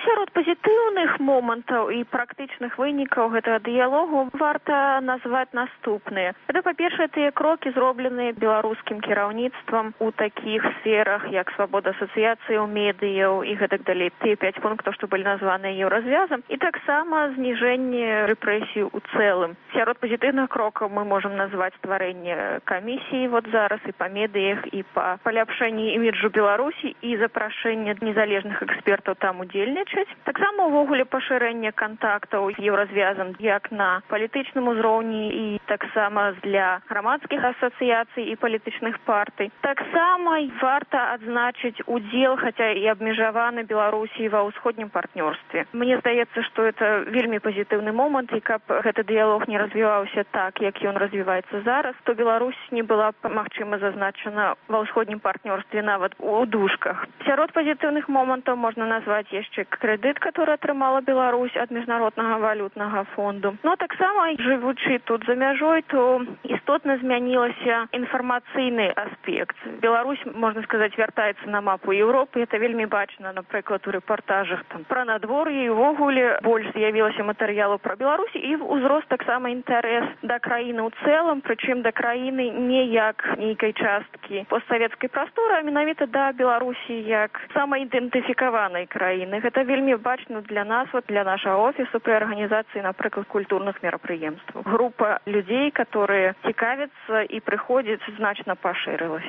Сярод пазітыўных момантаў і практычных вынікаў гэтага дыялогу варта назваць наступныя. Гэта, па-першае, тыя крокі, зробленыя беларускім кіраўніцтвам у такіх сферах, як свабода асацыяцыяў, медыяў і гэтак далей. Тыя 5 пунктаў, што былі названыя еўразвязам, і таксама зніжэнне рэпрэсій у цэлым. Сярод пазітыўных крокаў мы можам назваць стварэнне камісіі вот зараз і па медыях, і па паляпшэнні іміджу Беларусі і запрашэнне незалежных экспертаў там удзельнічаць. Таксама увогуле пашырэнне кантактаў з еўразвязам як на палітычным узроўні і таксама для грамадскіх асацыяцый і палітычных партый. Таксама варта адзначыць удзел, хаця і абмежаваны Беларусі ва ўсходнім партнёрстве. Мне здаецца, што это вельмі пазітыўны момант, і каб гэты дыялог не развіваўся так, як ён развіваецца зараз, то Беларусь не была магчыма зазначана ва ўсходнім партнёрстве нават у дужках. Сярод пазітыўных момантаў можна назваць яшчэ крэдыт, который атрымала Беларусь ад міжнароднага валютнага фонду. Но таксама, жывучы тут за мяжой, то істотна змянілася інфармацыйны аспект. Беларусь, можна сказаць, вяртаецца на мапу Еўропы. Это вельмі бачна, напрыклад, у рэпартажах там пра надвор'е, і увогуле больш з'явілася матэрыялу пра Беларусь, і узрост таксама інтарэс да краіны ў цэлым, прычым да краіны не як нейкай часткі постсавецкай прасторы, а менавіта да Беларусі як самаідэнтыфікаванай краіны. Гэта вельмі бачна для нас, вот для нашего офиса при организации, например, культурных мероприемств. Группа людей, которые цікавятся и приходят, значно поширилась.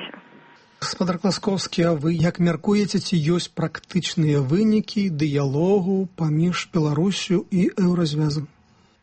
Гаспадар Класкоўскі, а вы як мяркуеце, ці ёсць практычныя вынікі дыялогу паміж Беларусю і Еўразвязам?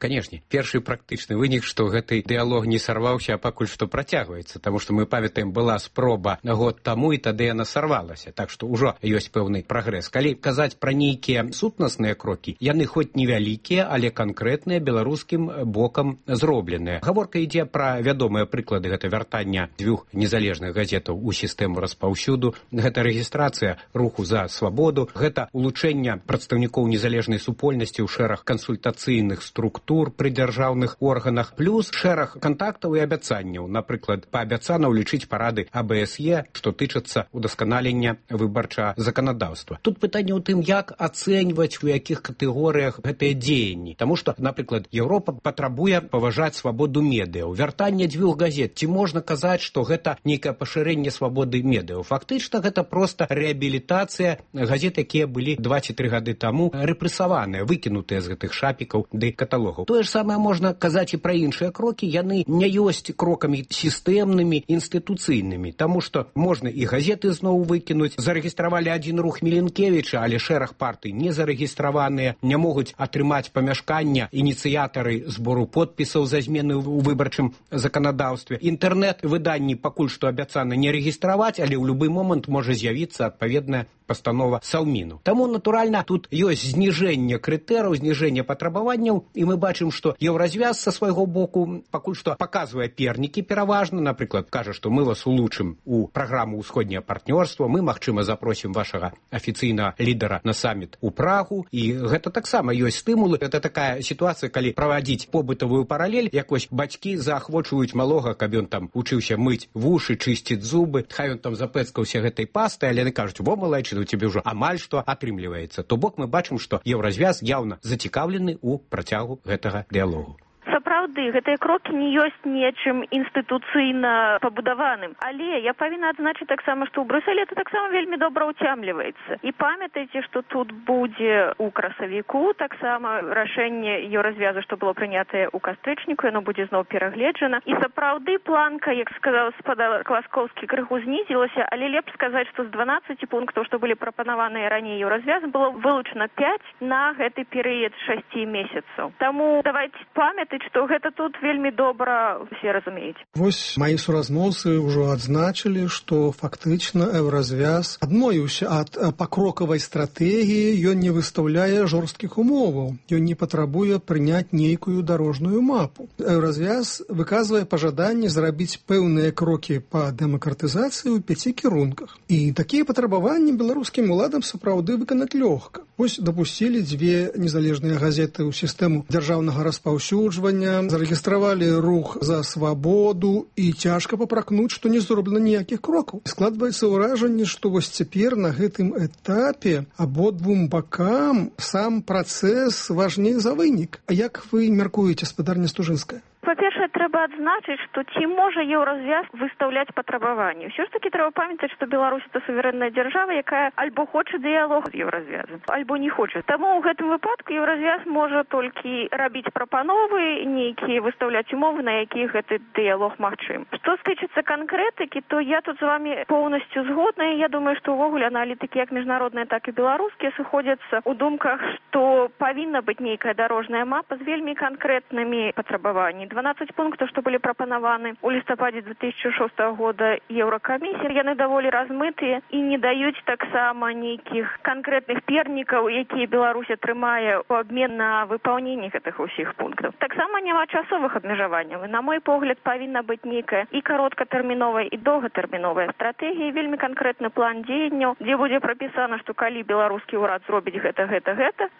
Канешне, першы практычны вынік, што гэты дыялог не сарваўся, а пакуль што працягваецца, таму што мы памятаем, была спроба год таму, і тады яна сарвалася, так што ўжо ёсць пэўны прагрэс. Калі казаць пра нейкія сутнасныя крокі, яны хоць невялікія, але канкрэтныя беларускім бокам зробленыя. Гаворка ідзе пра вядомыя прыклады, гэта вяртання 2 незалежных газетаў у сістэму распаўсюду, гэта рэгістрацыя руху за свабоду, гэта улучшэнне прадстаўнікоў незалежнай супольнасці ў шэраг кансультацыйных структур пры дзяржаўных органах, плюс шэраг кантактаў і абяцанняў, напрыклад, паабяцана ўлічыць парады АБСЕ, што тычацца удасканалення выбарчага заканадаўства. Тут пытанне ў тым, як ацэньваць, у якіх катэгорыях гэтыя дзеянні. Таму што, напрыклад, Еўропа патрабуе паважаць свабоду медыяў. Вяртанне 2 газет. Ці можна казаць, што гэта нейкае пашырэнне свабоды медыяў? Фактычна, гэта проста рэабілітацыя газет, якія былі 2 ці 3 гады таму рэпрэсаваныя, выкінутыя з гэтых шапікаў ды каталогаў. Тое ж самае можна казаць і пра іншыя крокі, яны не ёсць крокамі сістэмнымі, інстытуцыйнымі, таму што можна і газеты зноў выкінуць. Зарэгістравалі адзін рух Міленкевіча, але шэраг партый не зарэгістраваныя, не могуць атрымаць памяшкання ініцыятары збору подпісаў за змены ў выбарчым заканадаўстве. Інтэрнэт-выданні пакуль што абяцана не рэгістраваць, але ў любы момант можа з'явіцца адпаведная пастанова Саўміну. Таму, натуральна, тут ёсць зніжэнне крытэрыяў, зніжэнне патрабаванняў, і мы бачым, што Еўразвяз са свайго боку пакуль што паказвае пернікі пераважна, напрыклад, кажа, што мы вас улучшым у праграму ўсходняе партнёрства, мы, магчыма, запросім вашага афіцыйнага лідара на саміт у Прагу, і гэта таксама ёсць стымулы. Гэта такая сітуацыя, калі правадзіць побытавую паралель, якось бацькі заахвочваюць малога, каб ён там учыўся мыць вушы, чысціць зубы, хай ён там запэцкаўся гэтай пастай, але яны кажуць: во, малайчына, у цябе ўжо амаль што атрымліваецца. То бок мы бачым, што Еўразвяз яўна зацікаўлены ў працягу гэтага дыялогу. Сапраўды, гэтыя крокі не ёсць нечым інстытуцыйна пабудаваным. Але я павінна адзначыць таксама, што ў Брюсселі это таксама вельмі добра ўцямліваецца. І памятайце, што тут будзе ў красавіку таксама рашэнне Еўразвязу, што было прынятае ў кастрычніку, яно будзе зноў перагледжана. І сапраўды планка, як сказаў спадар Класкоўскі, крыху знізілася, але лепш сказаць, што з 12 пунктаў, што былі прапанаваныя раней Еўразвязу, было вылучана 5 на гэты перыяд 6 месяцаў. Таму давайте памятаць, што гэта тут вельмі добра усе разумеюць. Вось мои суразмоўцы ўжо адзначылі, што фактычна Еўразвяз адмовіўся ад пакрокавай стратэгіі, ён не выстаўляе жорсткіх умоваў, ён не патрабуе прыняць нейкую дарожную мапу. Еўразвяз выказвае пажаданне зрабіць пэўныя крокі па дэмакратызацыі ў 5 кірунках. І такія патрабаванні беларускім уладам сапраўды выканаць лёгка. Вось дапусцілі 2 незалежныя газеты ў сістэму дзяржаўнага распаўсюджвання, зарэгістравалі рух за свабоду, і цяжка папракнуць, што не зроблена ніякіх крокаў. Складваецца ўражанне, што вось цяпер на гэтым этапе абодвум бакам сам працэс важней за вынік. А як вы мяркуеце, спадарня Стужынская? Па-першае, трэба адзначыць, што ці можа Еўразвяз выстаўляць патрабаванні. Ўсё ж такі трэба памятаць, што Беларусь это суверэнная дзяржава, якая альбо хоча дыялог з Еўразвязам, альбо не хоча. Таму ў гэтым выпадку Еўразвяз можа толькі рабіць прапановы, нейкія выстаўляць умовы, на якіх гэты дыялог магчым. Што стычыцца канкрэтыкі, то я тут з вами поўнасцю згодна, і я думаю, што ўвогуле аналітыкі як міжнародныя, так і беларускія сыходзяцца ў думках, што павінна быць нейкая дарожная мапа з вельмі канкрэтнымі патрабаваннямі. 12 пунктаў, што былі прапанаваны ў лістападзе 2006 года Еўракамісіі, яны даволі размытыя і не даюць таксама нейкіх канкрэтных пернікаў, якія Беларусь атрымае ў абмен на выпаўненне гэтых усіх пунктаў. Таксама няма часовых абмежаванняў. На мой погляд, павінна быць нейкая і кароткатэрміновая, і доўгатэрміновая стратэгія, вельмі канкрэтны план дзеянняў, дзе будзе прапісана, што калі беларускі ўрад зробіць гэта,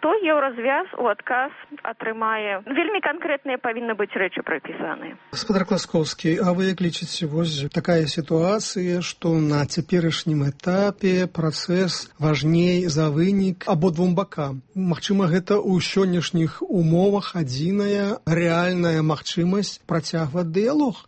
то Еўразвяз у адказ атрымае. Вельмі канкрэтныя павінны быць рэчы прапісаны. Спадар Класкоўскі, а вы як лічыце, вось такая сітуацыя, што на цяперашнім этапе працэс важней за вынік абодвум бакам? Магчыма, гэта ў сённяшніх умовах адзіная рэальная магчымасць працягваць дыялог?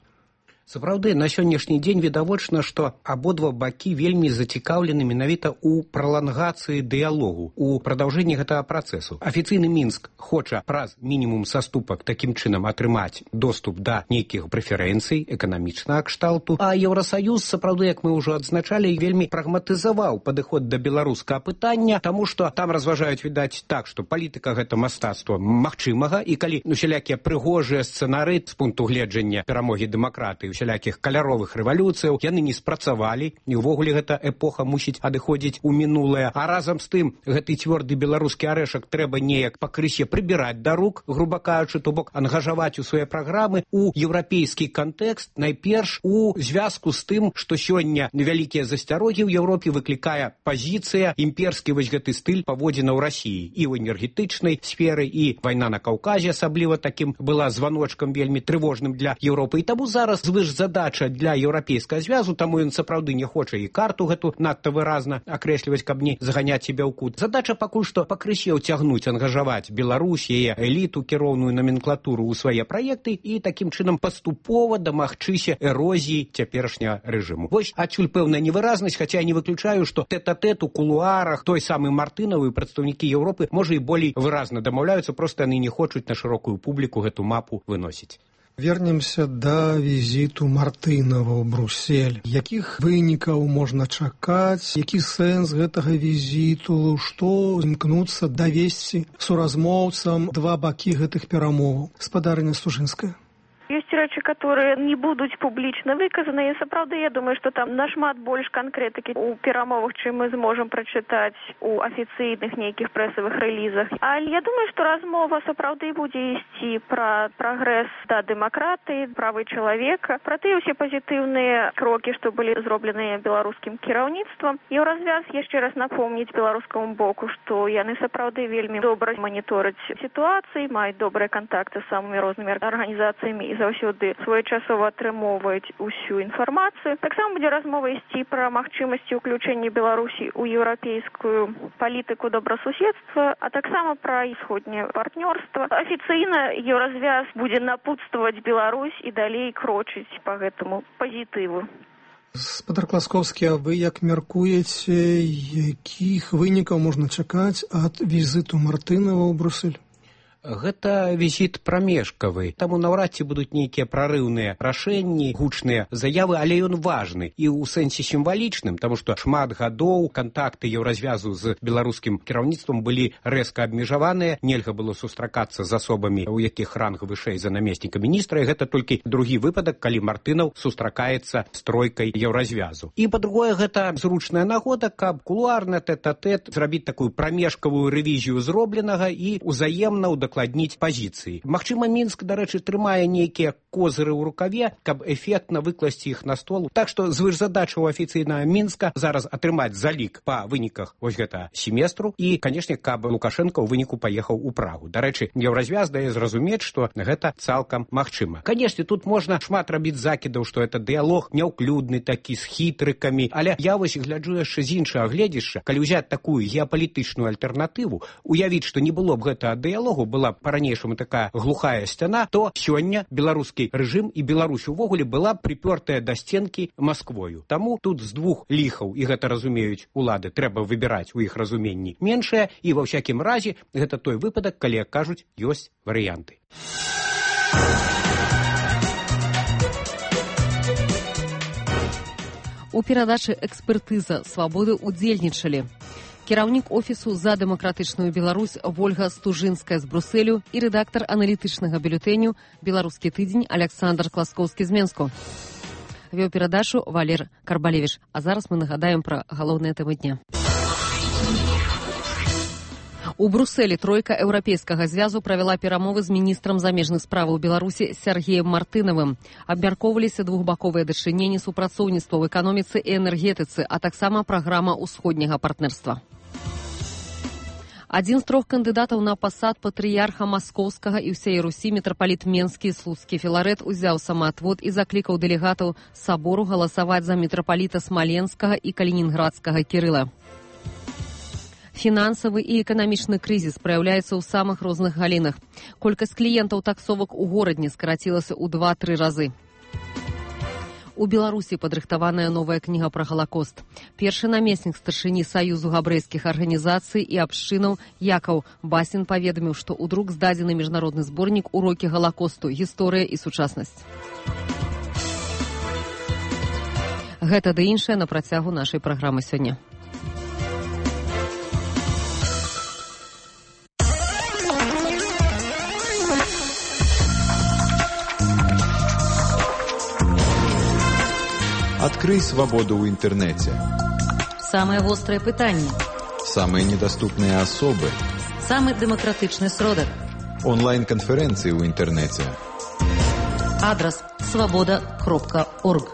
Сапраўды, на сённяшні дзень відавочна, што абодва бакі вельмі зацікаўлены менавіта ў пралангацыі дыялогу, у прадаўжэнні гэтага працэсу. Афіцыйны Мінск хоча праз мінімум саступак такім чынам атрымаць доступ да нейкіх прэферэнцый эканамічнага кшталту, а Еўрасаюз, сапраўды, як мы ўжо адзначалі, вельмі прагматызаваў падыход да беларускага пытання, таму што там разважаюць, відаць, так, што палітыка гэта мастацтва магчымага, і калі усялякія прыгожыя сцэнары з пункту гледжання перамогі дэмакратыі, усялякіх каляровых рэвалюцыяў, яны не спрацавалі, і ўвогуле гэта эпоха мусіць адыходзіць у мінулае, а разам з тым гэты цвёрды беларускі арэшак трэба неяк пакрысе прыбіраць да рук, груба кажучы, то бок ангажаваць у свае праграмы у еўрапейскі кантэкст, найперш у звязку з тым, што сёння невялікія засцярогі ў Еўропе выклікае пазіцыя, імперскі вось гэты стыль паводзінаў Расіі і ў энергетычнай сферы, і вайна на Каўказе асабліва такім была званочкам вельмі трывожным для Еўропы. І таму зараз задача для еўрапейскага звязу, таму ён сапраўды не хоча і карту гэту надта выразна акрэсліваць, каб не заганяць себе ў кут. Задача пакуль што пакрысе ўцягнуць, ангажаваць Беларусь, яе эліту, кіроўную номенклатуру ў свае праекты і такім чынам паступова дамагчыся эрозіі цяперашняга рэжыму. Вось адсюль пэўная невыразнасць, хаця я не выключаю, што тэт-а-тэт у кулуарах той самы Мартынавы і прадстаўнікі Еўропы, можа, і болей выразна дамаўляюцца, проста яны не хочуць на шырокую публіку гэту мапу выносіць. Вернемся да візіту Мартынава ў Бруссель. Якіх вынікаў можна чакаць? Які сэнс гэтага візіту? Што імкнуцца давесці суразмоўцам два бакі гэтых перамоваў? Спадарня Стужынская. Ёсць рэчы, которые не будуць публічна выказаны, і сапраўды я думаю, што там нашмат больш канкрэтыкі у перамовах, чым мы зможам прачытаць у афіцыйных нейкіх прэсавых рэлізах. Але я думаю, што размова сапраўды будзе ісці пра прагрэс да дэмакратыі, правы чалавека, пра тыя ўсе пазітыўныя крокі, што былі зробленыя беларускім кіраўніцтвам. Еўразвяз яшчэ раз напомніць беларускаму боку, што яны сапраўды вельмі добра манітораць сітуацыі, маюць добрыя кантакты з самымі рознымі арганізацыямі і заўсёды своечасова атрымоўваюць усю інфармацыю. Таксама будзе размова ісці пра магчымасці ўключэння Беларусі ў еўрапейскую палітыку добрасуседства, а таксама пра усходняе партнёрства. Афіцыйна Еўразвяз будзе напутстваваць Беларусь і далей крочыць па гэтаму пазітыву. Спадар Класкоўскі, а вы як мяркуеце, якіх вынікаў можна чакаць ад візіту Мартынова ў Брусэль? Гэта візіт прамежкавы, таму наўрад ці будуць нейкія прарыўныя рашэнні, гучныя заявы, але ён важны і ў сэнсе сімвалічным, таму што шмат гадоў кантакты Еўразвязу з беларускім кіраўніцтвам былі рэзка абмежаваныя, нельга было сустракацца з асобамі, у якіх ранг вышэй за намесніка міністра, і гэта толькі другі выпадак, калі Мартынаў сустракаецца з тройкай Еўразвязу. І па-другое, гэта зручная нагода, каб кулуарна тэт-а-тэт зрабіць такую прамежкавую рэвізію зробленага і ўзаемна ўдакладніць пазіцыі. Магчыма, Мінск, дарэчы, трымае нейкія козыры ў рукаве, каб эфектна выкласці іх на стол. Так што звышзадача ў афіцыйнага Мінска зараз атрымаць залік па выніках вось гэта семестру і, канешне, каб Лукашенко ў выніку паехаў у Прагу. Дарэчы, Еўразвяз дае зразумець, што гэта цалкам магчыма. Канешне, тут можна шмат рабіць закідаў, што это дыялог няўклюдны такі, з хітрыкамі, але я вось гляджу яшчэ з іншага гледзяшча, калі ўзяць такую геапалітычную альтэрнатыву, уявіць, што не было б гэтага дыялогу, была па-ранейшаму такая глухая сцяна, то сёння беларускі рэжым і Беларусь увогуле была прыпёртая да сценкі Масквою. Таму тут з двух ліхаў, і гэта разумеюць улады, трэба выбіраць у іх разуменні меншае, і ва ўсякім разе гэта той выпадак, калі, як кажуць, ёсць варыянты. У перадачы «Экспертыза свабоды» удзельнічалі кіраўнік офісу «За дэмакратычную Беларусь» Вольга Стужынская з Брусэлю і рэдактар аналітычнага бюлетэню «Беларускі тыдзень» Александр Класкоўскі з Менску. Вёў перадачу Валер Карбалевіч. А зараз мы нагадаем пра галоўныя тэмы дня. У Брусэлі тройка Еўрапейскага звязу правяла перамовы з міністрам замежных справаў Беларусі Сергеем Мартынавым. Абмяркоўваліся двухбаковыя дачыненні, супрацоўніцтва ў эканоміцы і энергетыцы, а таксама праграма ўсходняга партнерства. Адзін з трох кандыдатаў на пасад патрыярха Маскоўскага і ўсей Русі мітрапаліт Менскі Слуцкі Філарэт узяў самаатвод і заклікаў дэлегатаў сабору галасаваць за мітрапаліта Смаленскага і Калінінградскага Кірыла. Фінансавы і эканамічны крызіс праяўляецца ў самых розных галінах. Колькасць кліентаў таксовак у горадні скарацілася ў 2-3 разы. У Беларусі падрыхтаваная новая кніга пра Галакост. Першы намеснік старшыні Саюзу габрэйскіх арганізацый і абшчынаў Якаў Басін паведаміў, што ў друк здадзены міжнародны зборнік «Урокі Галакосту. Гісторыя і сучаснасць». Гэта ды іншае на працягу нашай праграмы сёння. Открой свободу в интернете. Самые острые пытания. Самые недоступные особы. Самый демократичный сродок. Онлайн-конференции в интернете. Адрес svoboda.org.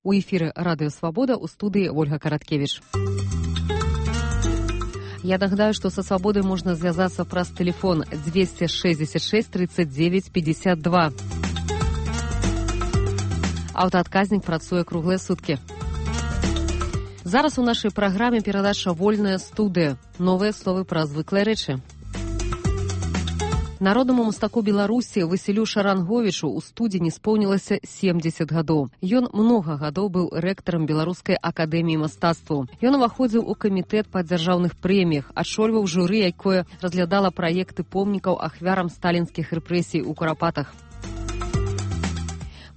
У эфире «Радио Свобода», у студии Ольга Караткевич. Я нагадаю, что со «Свободой» можно связаться праз телефон 266 39 52. Аўтаадказнік працуе круглыя суткі. Зараз у нашай праграме перадача «Вольная студыя». Новыя словы пра звыклыя рэчы. Народнаму мастаку Беларусі Васілю Шаранговічу ў студзені споўнілася 70 гадоў. Ён многа гадоў быў рэктарам Беларускай акадэміі мастацтваў. Ён уваходзіў у камітэт па дзяржаўных прэміях, ачольваў журы, якое разглядала праекты помнікаў ахвярам сталінскіх рэпрэсій у Курапатах.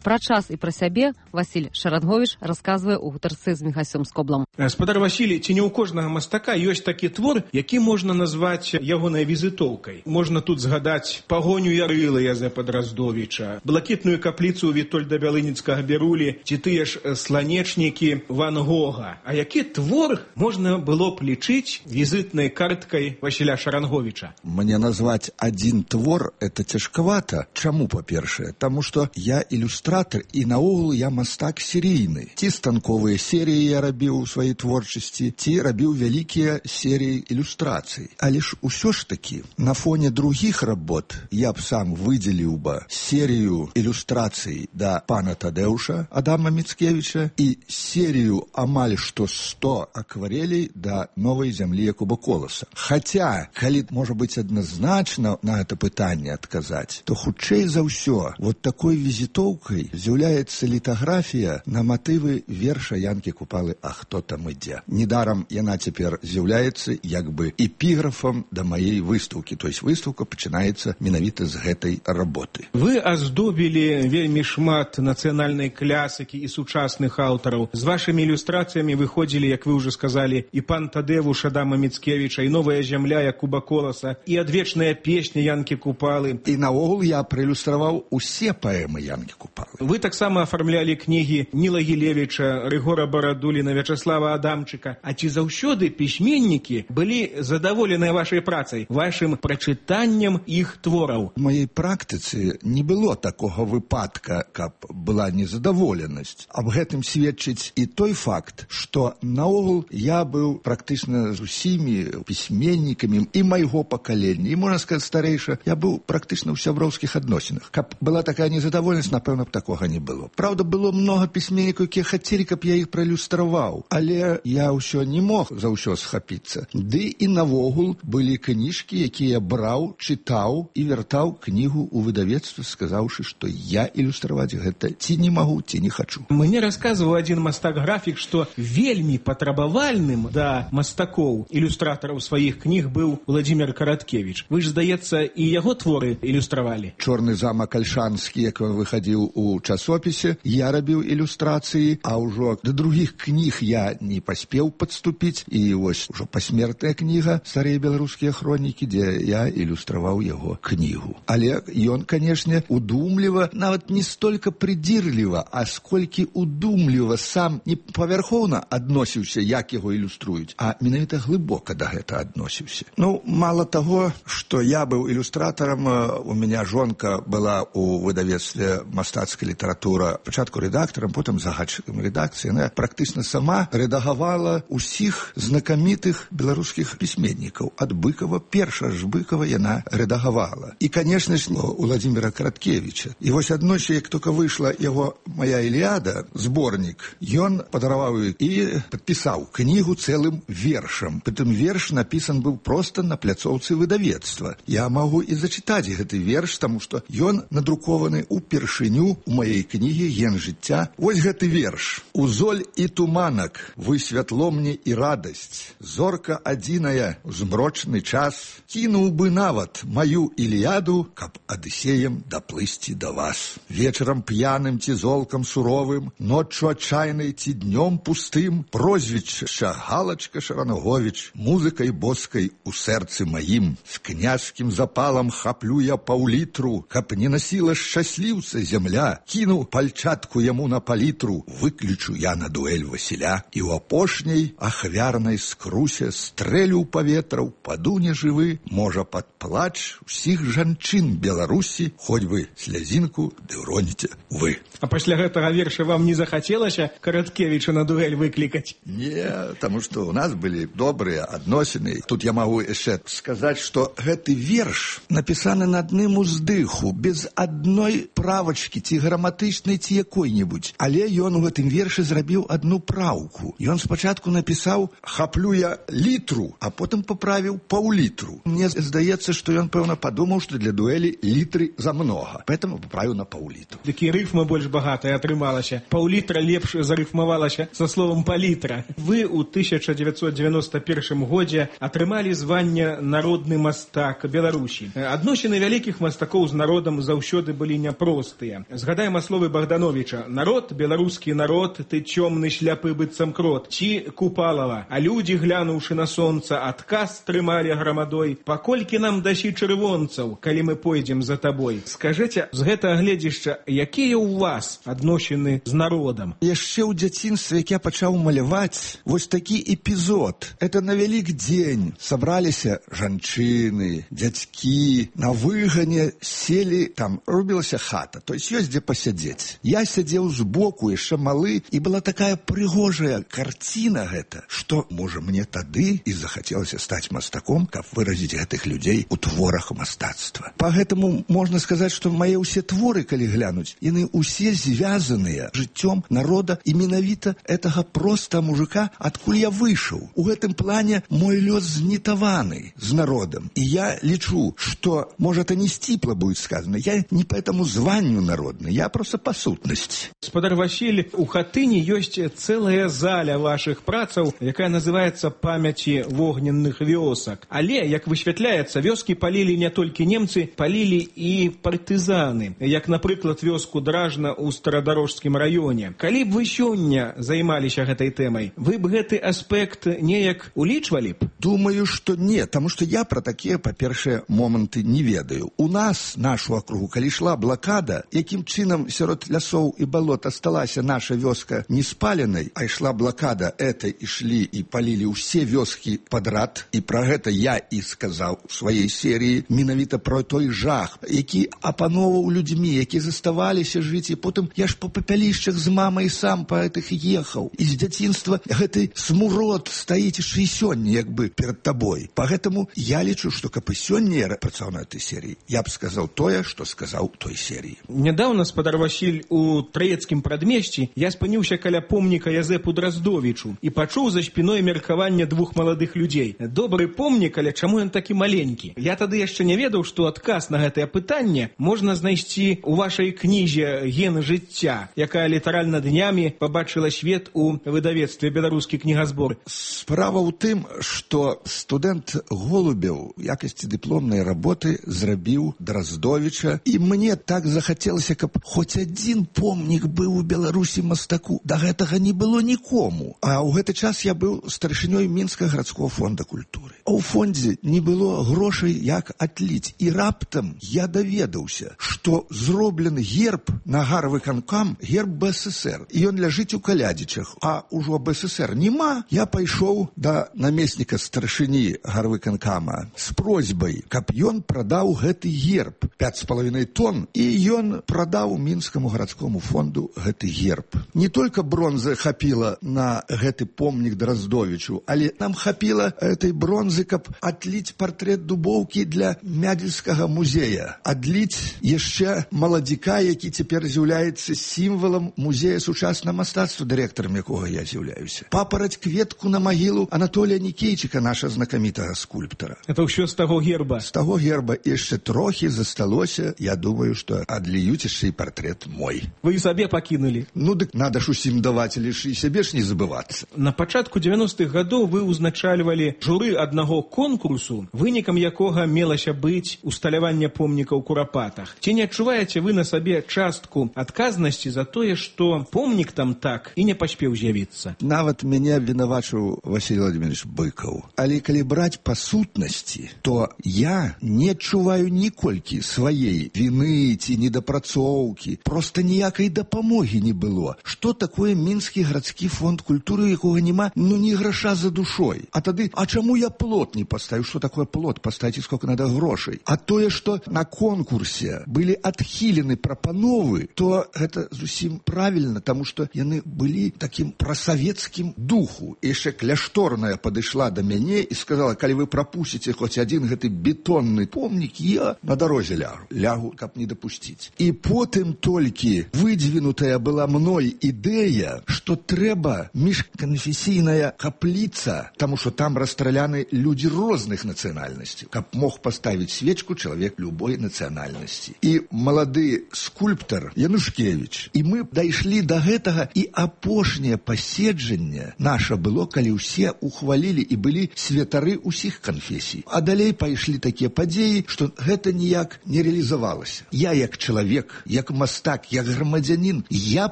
Пра час і пра сябе Васіль Шаранговіч расказвае ў гутарцы з Міхасём Скоблам. Спадар Васілій, ці не ў кожнага мастака ёсць такі твор, які можна назваць ягонай візітоўкай. Можна тут згадаць пагоню Ярыла Язэпа Драздовіча, блакітную капліцу Вітольда Бялыніцкага Берулі, ці тыя ж сланечнікі Ван Гога. А які твор можна было б лічыць візітнай карткай Васіля Шаранговіча? Мне назваць один твор это цяжкавата. Чаму, па-першае? Таму што я ілюстратор і наогул я мастак серійны. Ці станковыя серыі я рабіў у сваёй творчасці, ці рабіў вялікія серыі ілюстрацый. Але ж усё ж такі на фоне другіх работ я б сам выдзеліў бы серыю ілюстрацый да пана Тадэуша Адама Міцкевіча і серыю амаль што 100 акварелей да новай зямлі Якуба Коласа. Хаця, калі можа быць адназначна на гэта пытанне адказаць, то хутчэй за ўсё вот такой візітоўкай з'яўляецца літаграфія на матывы верша Янкі Купалы «А хто там ідзе?». Недарам яна цяпер з'яўляецца як бы эпіграфам да маей выстаўкі, то есть выстаўка пачынаецца менавіта з гэтай работы. Вы аздобілі вельмі шмат нацыянальнай клясыкі і сучасных аўтараў. З вашымі ілюстрацыямі выходзілі, як вы ўжо сказалі, і пан Тадэвуш Адама Міцкевіча, і новая зямля Якуба Коласа, і адвечная песня Янкі Купалы. І наогул я праілюстраваў усе паэмы Янкі Купалы. Вы таксама афармлялі кнігі Ніла Гілевіча, Рыгора Барадуліна, Вячаслава Адамчыка. А ці заўсёды пісьменнікі былі задаволеныя вашай працай, вашым прачытаннем іх твораў? У маёй практыцы не было такога выпадка, каб была незадаволенасць. Аб гэтым сведчыць і той факт, што наогул я быў практычна з усімі пісьменнікамі і майго пакалення, і, можна сказаць, старэйша, я быў практычна ў сяброўскіх адносінах. Каб была такая незадаволенасць, напэўна б такога не было. Праўда, было многа пісьменнікаў, якія хацелі, каб я іх праілюстраваў, але я ўсё не мог за ўсё схапіцца. Ды і навогул былі кніжкі, якія браў, чытаў і вяртаў кнігу ў выдавецтва, сказаўшы, што я ілюстраваць гэта ці не магу, ці не хачу. Мне расказваў адзін мастак-графік, што вельмі патрабавальным да мастакоў, ілюстратараў сваіх кніг быў Владзімир Караткевіч. Вы ж, здаецца, і яго творы ілюстравалі. «Чорны замак Альшанскі», як выхадзіў у часопісе, я рабіў ілюстрацыі, а ўжо да другіх кніг я не паспеў падступіць, і вось ужо пасмертная кніга «Старыя беларускія хронікі», дзе я ілюстраваў яго кнігу. Але ён, канешне, удумліва, нават не столькі прыдзірліва, а сколькі удумліва сам не павярхоўна адносіўся, як яго ілюструюць, а менавіта глыбока да гэта адносіўся. Ну, мала таго, што я быў ілюстратарам, у мяне жонка была у выдавецтве «Мастацкая літаратура», пачатку рэдактарам, потым загадчыкам рэдакцыі. Яна практычна сама рэдагавала усіх знакамітых беларускіх пісьменнікаў. Ад Быкова, перша ж Быкова яна рэдагавала. І, канешне ж, у Владзіміра Караткевіча. І вось аднойчы, як толькі выйшла яго «Моя Іліада», зборнік, ён падараваў і падпісаў кнігу цэлым вершам. Прытым верш напісан быў проста на пляцоўцы выдавецтва. Я магу і зачытаць гэты верш, таму што ён надрукаваны ўпершыню у маёй кнігі «Ген жыцця». Вось гэты верш. «Узоль і туманак, вы святло мне і радасць. Зорка адзіная, змрочны час. Кінуў бы нават маю Іліяду, каб Адысеем даплысці да вас. Вечарам п'яным ці золкам суровым, ноччу адчайнай ці днём пустым, прозвішча Галачка Шаранговіч, музыкай боскай у сэрцы маім. З княжскім запалам хаплю я паўлітру, каб не насіла шчасліўца зямля. Кіну пальчатку яму на палітру, выключу я на дуэль Васіля. І ў апошняй ахвярнай скрусе стрэлю ў паветра, упаду нежывы, можа пад плач усіх жанчын Беларусі, хоць бы слязінку ды ўроніце вы. А пасля гэтага верша вам не захацелася Караткевіча на дуэль выклікаць? Не, таму што ў нас былі добрыя адносіны. Тут я магу яшчэ сказаць, што гэты верш напісаны на адным уздыху, без адной правачкі, ці граматычнай, ці якой-небудзь. Але ён у гэтым вершы зрабіў адну праўку. Ён спачатку напісаў «хаплю я літру», а потым паправіў паўлітру. Мне здаецца, што ён, пэўна, падумаў, што для дуэлі літры замнога. Поэтому паправіў на паўлітру. Такі рыфма больш багатая атрымалася. Паўлітра лепш зарыфмавалася са словам палітра. Вы ў 1991 годзе атрымалі званне «Народны мастак Беларусі». Адносіны вялікіх мастакоў з народам заўсёды былі няпростыя. З Згадаем словы Богдановича. Народ, беларускі народ, ты цёмны шляпы быццам крот. Ці Купалава. А людзі, глянуўшы на сонца, адказ трымалі грамадой. Паколькі нам дасі чырвонцаў, калі мы пойдзем за табой? Скажыце, з гэтага гледзішча, якія ў вас адносіны з народам? Яшчэ ў дзяцінстве, як я пачаў маляваць, вось такі эпізод. Это на вялік дзень. Сабраліся жанчыны, дзядзькі, на выгане селі, там рубілася хата, то есть ёсць дзе пасядзець. Я сядзеў збоку, яшчэ малы, і была такая прыгожая карціна гэта, што, можа, мне тады і захацелася стаць мастаком, каб выразіць гэтых людзей у творах мастацтва. Па гэтаму можна сказаць, што мае ўсе творы, калі глянуць, яны ўсе звязаныя жыццём народа і менавіта гэтага проста мужика, адкуль я выйшаў. У гэтым плане мой лёс знітаваны з народам. І я лічу, што, можа, это не сціпла будет сказано, я не по этому званню народны, я просто по сутнасці. Спадар Васіль, у Хатыні ёсць цэлая заля вашых працаў, якая называецца «Памяці вогненных вёсак». Але, як высвятляецца, вёскі палілі не толькі немцы, палілі і партызаны, як, напрыклад, вёску Дражна ў Старадарожскім раёне. Калі б вы сёння займаліся гэтай тэмай, вы б гэты аспект неяк улічвалі б? Думаю, што не, таму што я пра такія, па-першае, моманты не ведаю. У нас, нашу акругу, калі ішла блакада, якім чынам сярод лясоў і балот асталася наша вёска не спаленай, а ішла блакада, это ішлі і палілі ўсе вёскі падрад, і пра гэта я і сказаў у сваёй серыі, менавіта пра той жах, які апановаў людзьмі, які заставаліся жыць, і потым я ж па папялішчах з мамай сам па гэтых ехаў. І з дзяцінства гэты смурод стаіць яшчэ і сёння, як бы, перад табой. Па гэтаму я лічу, што каб і сёння я працаваў на этой серыі, я б сказаў тое, што сказаў у той серыі. Нядаўна, спадар Васіль, у Траецкім прадмесці я спыніўся каля помніка Язэпу Драздовічу і пачуў за спіной меркаванне двух маладых людзей. Добры помнік, але чаму ён такі маленькі? Я тады яшчэ не ведаў, што адказ на гэтае пытанне можна знайсці ў вашай кнізе «Ген жыцця», якая літаральна днямі пабачыла свет у выдавецтве «Беларускі кнігазбор». Справа ў тым, што студэнт Голубеў у якасці дыпломнай работы зрабіў Драздовіча, і мне так захацелася, каб хоць адзін помнік быў у Беларусі мастаку. Да гэтага не было нікому. А ў гэты час я быў старшынёй Мінскага гарадскога фонда культуры. А ў фондзе не было грошай, як адліць. І раптам я даведаўся, што зроблены герб на гарвыканкам, герб БССР. І ён ляжыць у Калядзічах. А ўжо БССР нема. Я пайшоў да намесніка старшыні гарвыканкама з просьбай, каб ён прадаў гэты герб 5,5 тонн, і ён прадаў Мінскаму гарадскому фонду гэты герб. Не толькі бронзы хапіла на гэты помнік Драздовічу, але нам хапіла этой бронзы, каб адліць партрэт Дубоўкі для Мядзельскага музея. Адліць яшчэ маладзіка, які цяпер з'яўляецца сімвалам музея сучаснага мастацтва, дырэктарам якога я з'яўляюся. Папараць кветку на магілу Анатолія Нікейчыка, наша знакамітага скульптара. Это ўсё з таго герба? З таго герба яшчэ трохі засталося. Я думаю, што адліюць яшчэ і партрэт мой. Вы сабе пакінулі? Ну, дык надо ж усім даваць, але ж і сябе ж не забывацца. На пачатку 90-х гадоў вы ўзначальвалі журы аднаго конкурсу, вынікам якога мелася быць усталяванне помніка ў Курапатах. Ці не адчуваеце вы на сабе частку адказнасці за тое, што помнік там так і не паспеў з'явіцца? Нават мяне вінавачыў Васіль Владимирович Быкаў. Але калі браць па сутнасці, то я не адчуваю ніколькі сваей віны ці недапрацоўкі. Проста ніякай дапамогі не было. Што такое Мінскі гарадскі фонд культуры, якога няма, ну, ні граша за душой. А тады, а чаму я плот не паставіў? Што такое плот? Паставіце сколько надо грошай. А тое, што на конкурсе былі адхілены прапановы, то гэта зусім правільна, таму што яны былі такім прасавецкім духу. І яшчэ кляшторная падышла да мяне і сказала, калі вы прапусціце хоць адзін гэты бетонны помнік, я на дарозе лягу, каб не дапусціць. І потым толькі выдвінутая была мной ідэя, што трэба міжканфесійная капліца, таму што там расстраляны людзі розных нацыянальнасцей, каб мог паставіць свечку чалавек любой нацыянальнасці. І малады скульптар Янушкевіч. І мы дайшлі да гэтага, і апошняе паседжанне наша было, калі ўсе ухвалілі і былі святары ўсіх канфесій. А далей пайшлі такія падзеі, што гэта ніяк не рэалізавалася. Я як чалавек, як мастак, як грамадзянін, я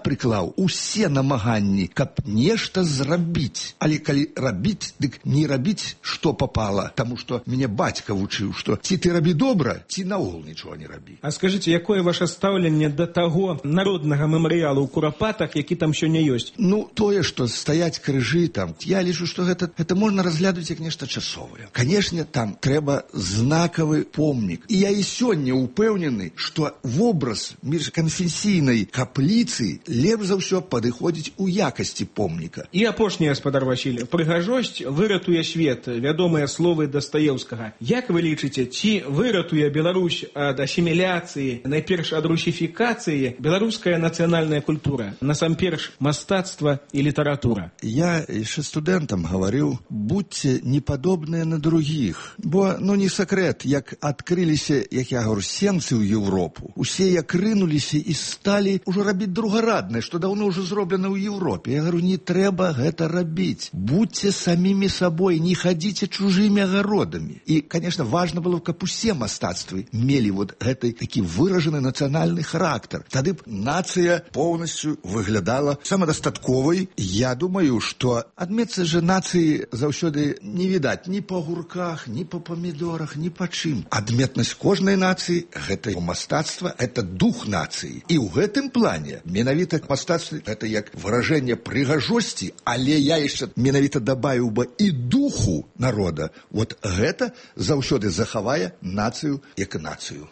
прыклаў усе намаганні, каб нешта зрабіць. Але калі рабіць, дык не рабіць, што попала, таму што мяне бацька вучыў, што ці ты рабі добра, ці наогул нічога не рабі. А скажыце, якое ваше стаўленне да таго народнага мемарыялу ў Курапатах, які там сёння ёсць? Ну, тое, што стаяць крыжы там, я лічу, што гэта можна разглядаць як нешта часовае. Канешне, там трэба знакавы помнік. І я і сёння упэўнены, што вобраз міжканфесійнай капліцы лепш за ўсё падыходзіць у якасці помніка. І апошні, гаспадар Васіль, прыгажосць выратуе свет, вядомыя словы Дастаеўскага. Як вы лічыце, ці выратуе Беларусь ад асіміляцыі, найперш ад русіфікацыі, беларуская нацыянальная культура, насамперш мастацтва і літаратура? Я яшчэ студэнтам гаварыў, будьце не падобныя на другіх. Бо, не сакрэт, як адкрыліся, як я говорю, сенцы ў Европу, усе як рынуліся і сталі ўжо рабіць другараднае, што даўно ўжо зроблена ў Европе. Я говорю, не трэба гэта рабіць. Будьце самімі сабой, не хадзіце чужымі агародамі. І, конечно, важна было, каб усе мастацтвы мелі гэты такі выражаны нацыянальны характар. Тады б нацыя поўнасцю выглядала самадастатковай. Я думаю, што адметцы же нацыі заўсёды не відаць ні па гурках, ні па памідорах, ні па чым. Адметнасць кожнай нацыі – гэта мастацтва, гэта дух нацыі. І ў гэтым плане менавіта мастацтва – гэта як выражэнне прыгажосці, але я яшчэ менавіта дабавіў бы і духу народа. Гэта заўсёды захавае нацыю як нацыю.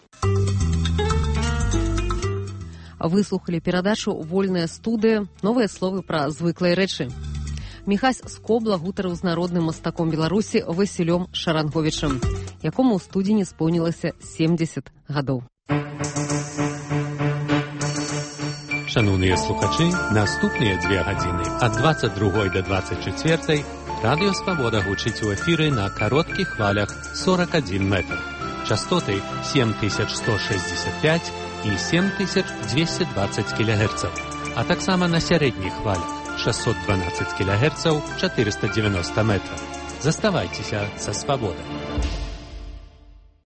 Выслухалі перадачу «Вольная студыя. Новыя словы пра звыклыя рэчы». Міхась Скобла гутарыў з народным мастаком Беларусі Васілём Шаранговічам, якому ў студзені споўнілася 70 гадоў. Шановныя слухачы, наступныя 2 гадзіны ад 22 до 24 Радыё Свабода гучыць у эфіры на кароткіх хвалях 41 метр. Частоты 7165 і 7220 кГц, а таксама на сярэдніх хвалях 612 кГц 490 метров. Заставайцеся са Свабодай.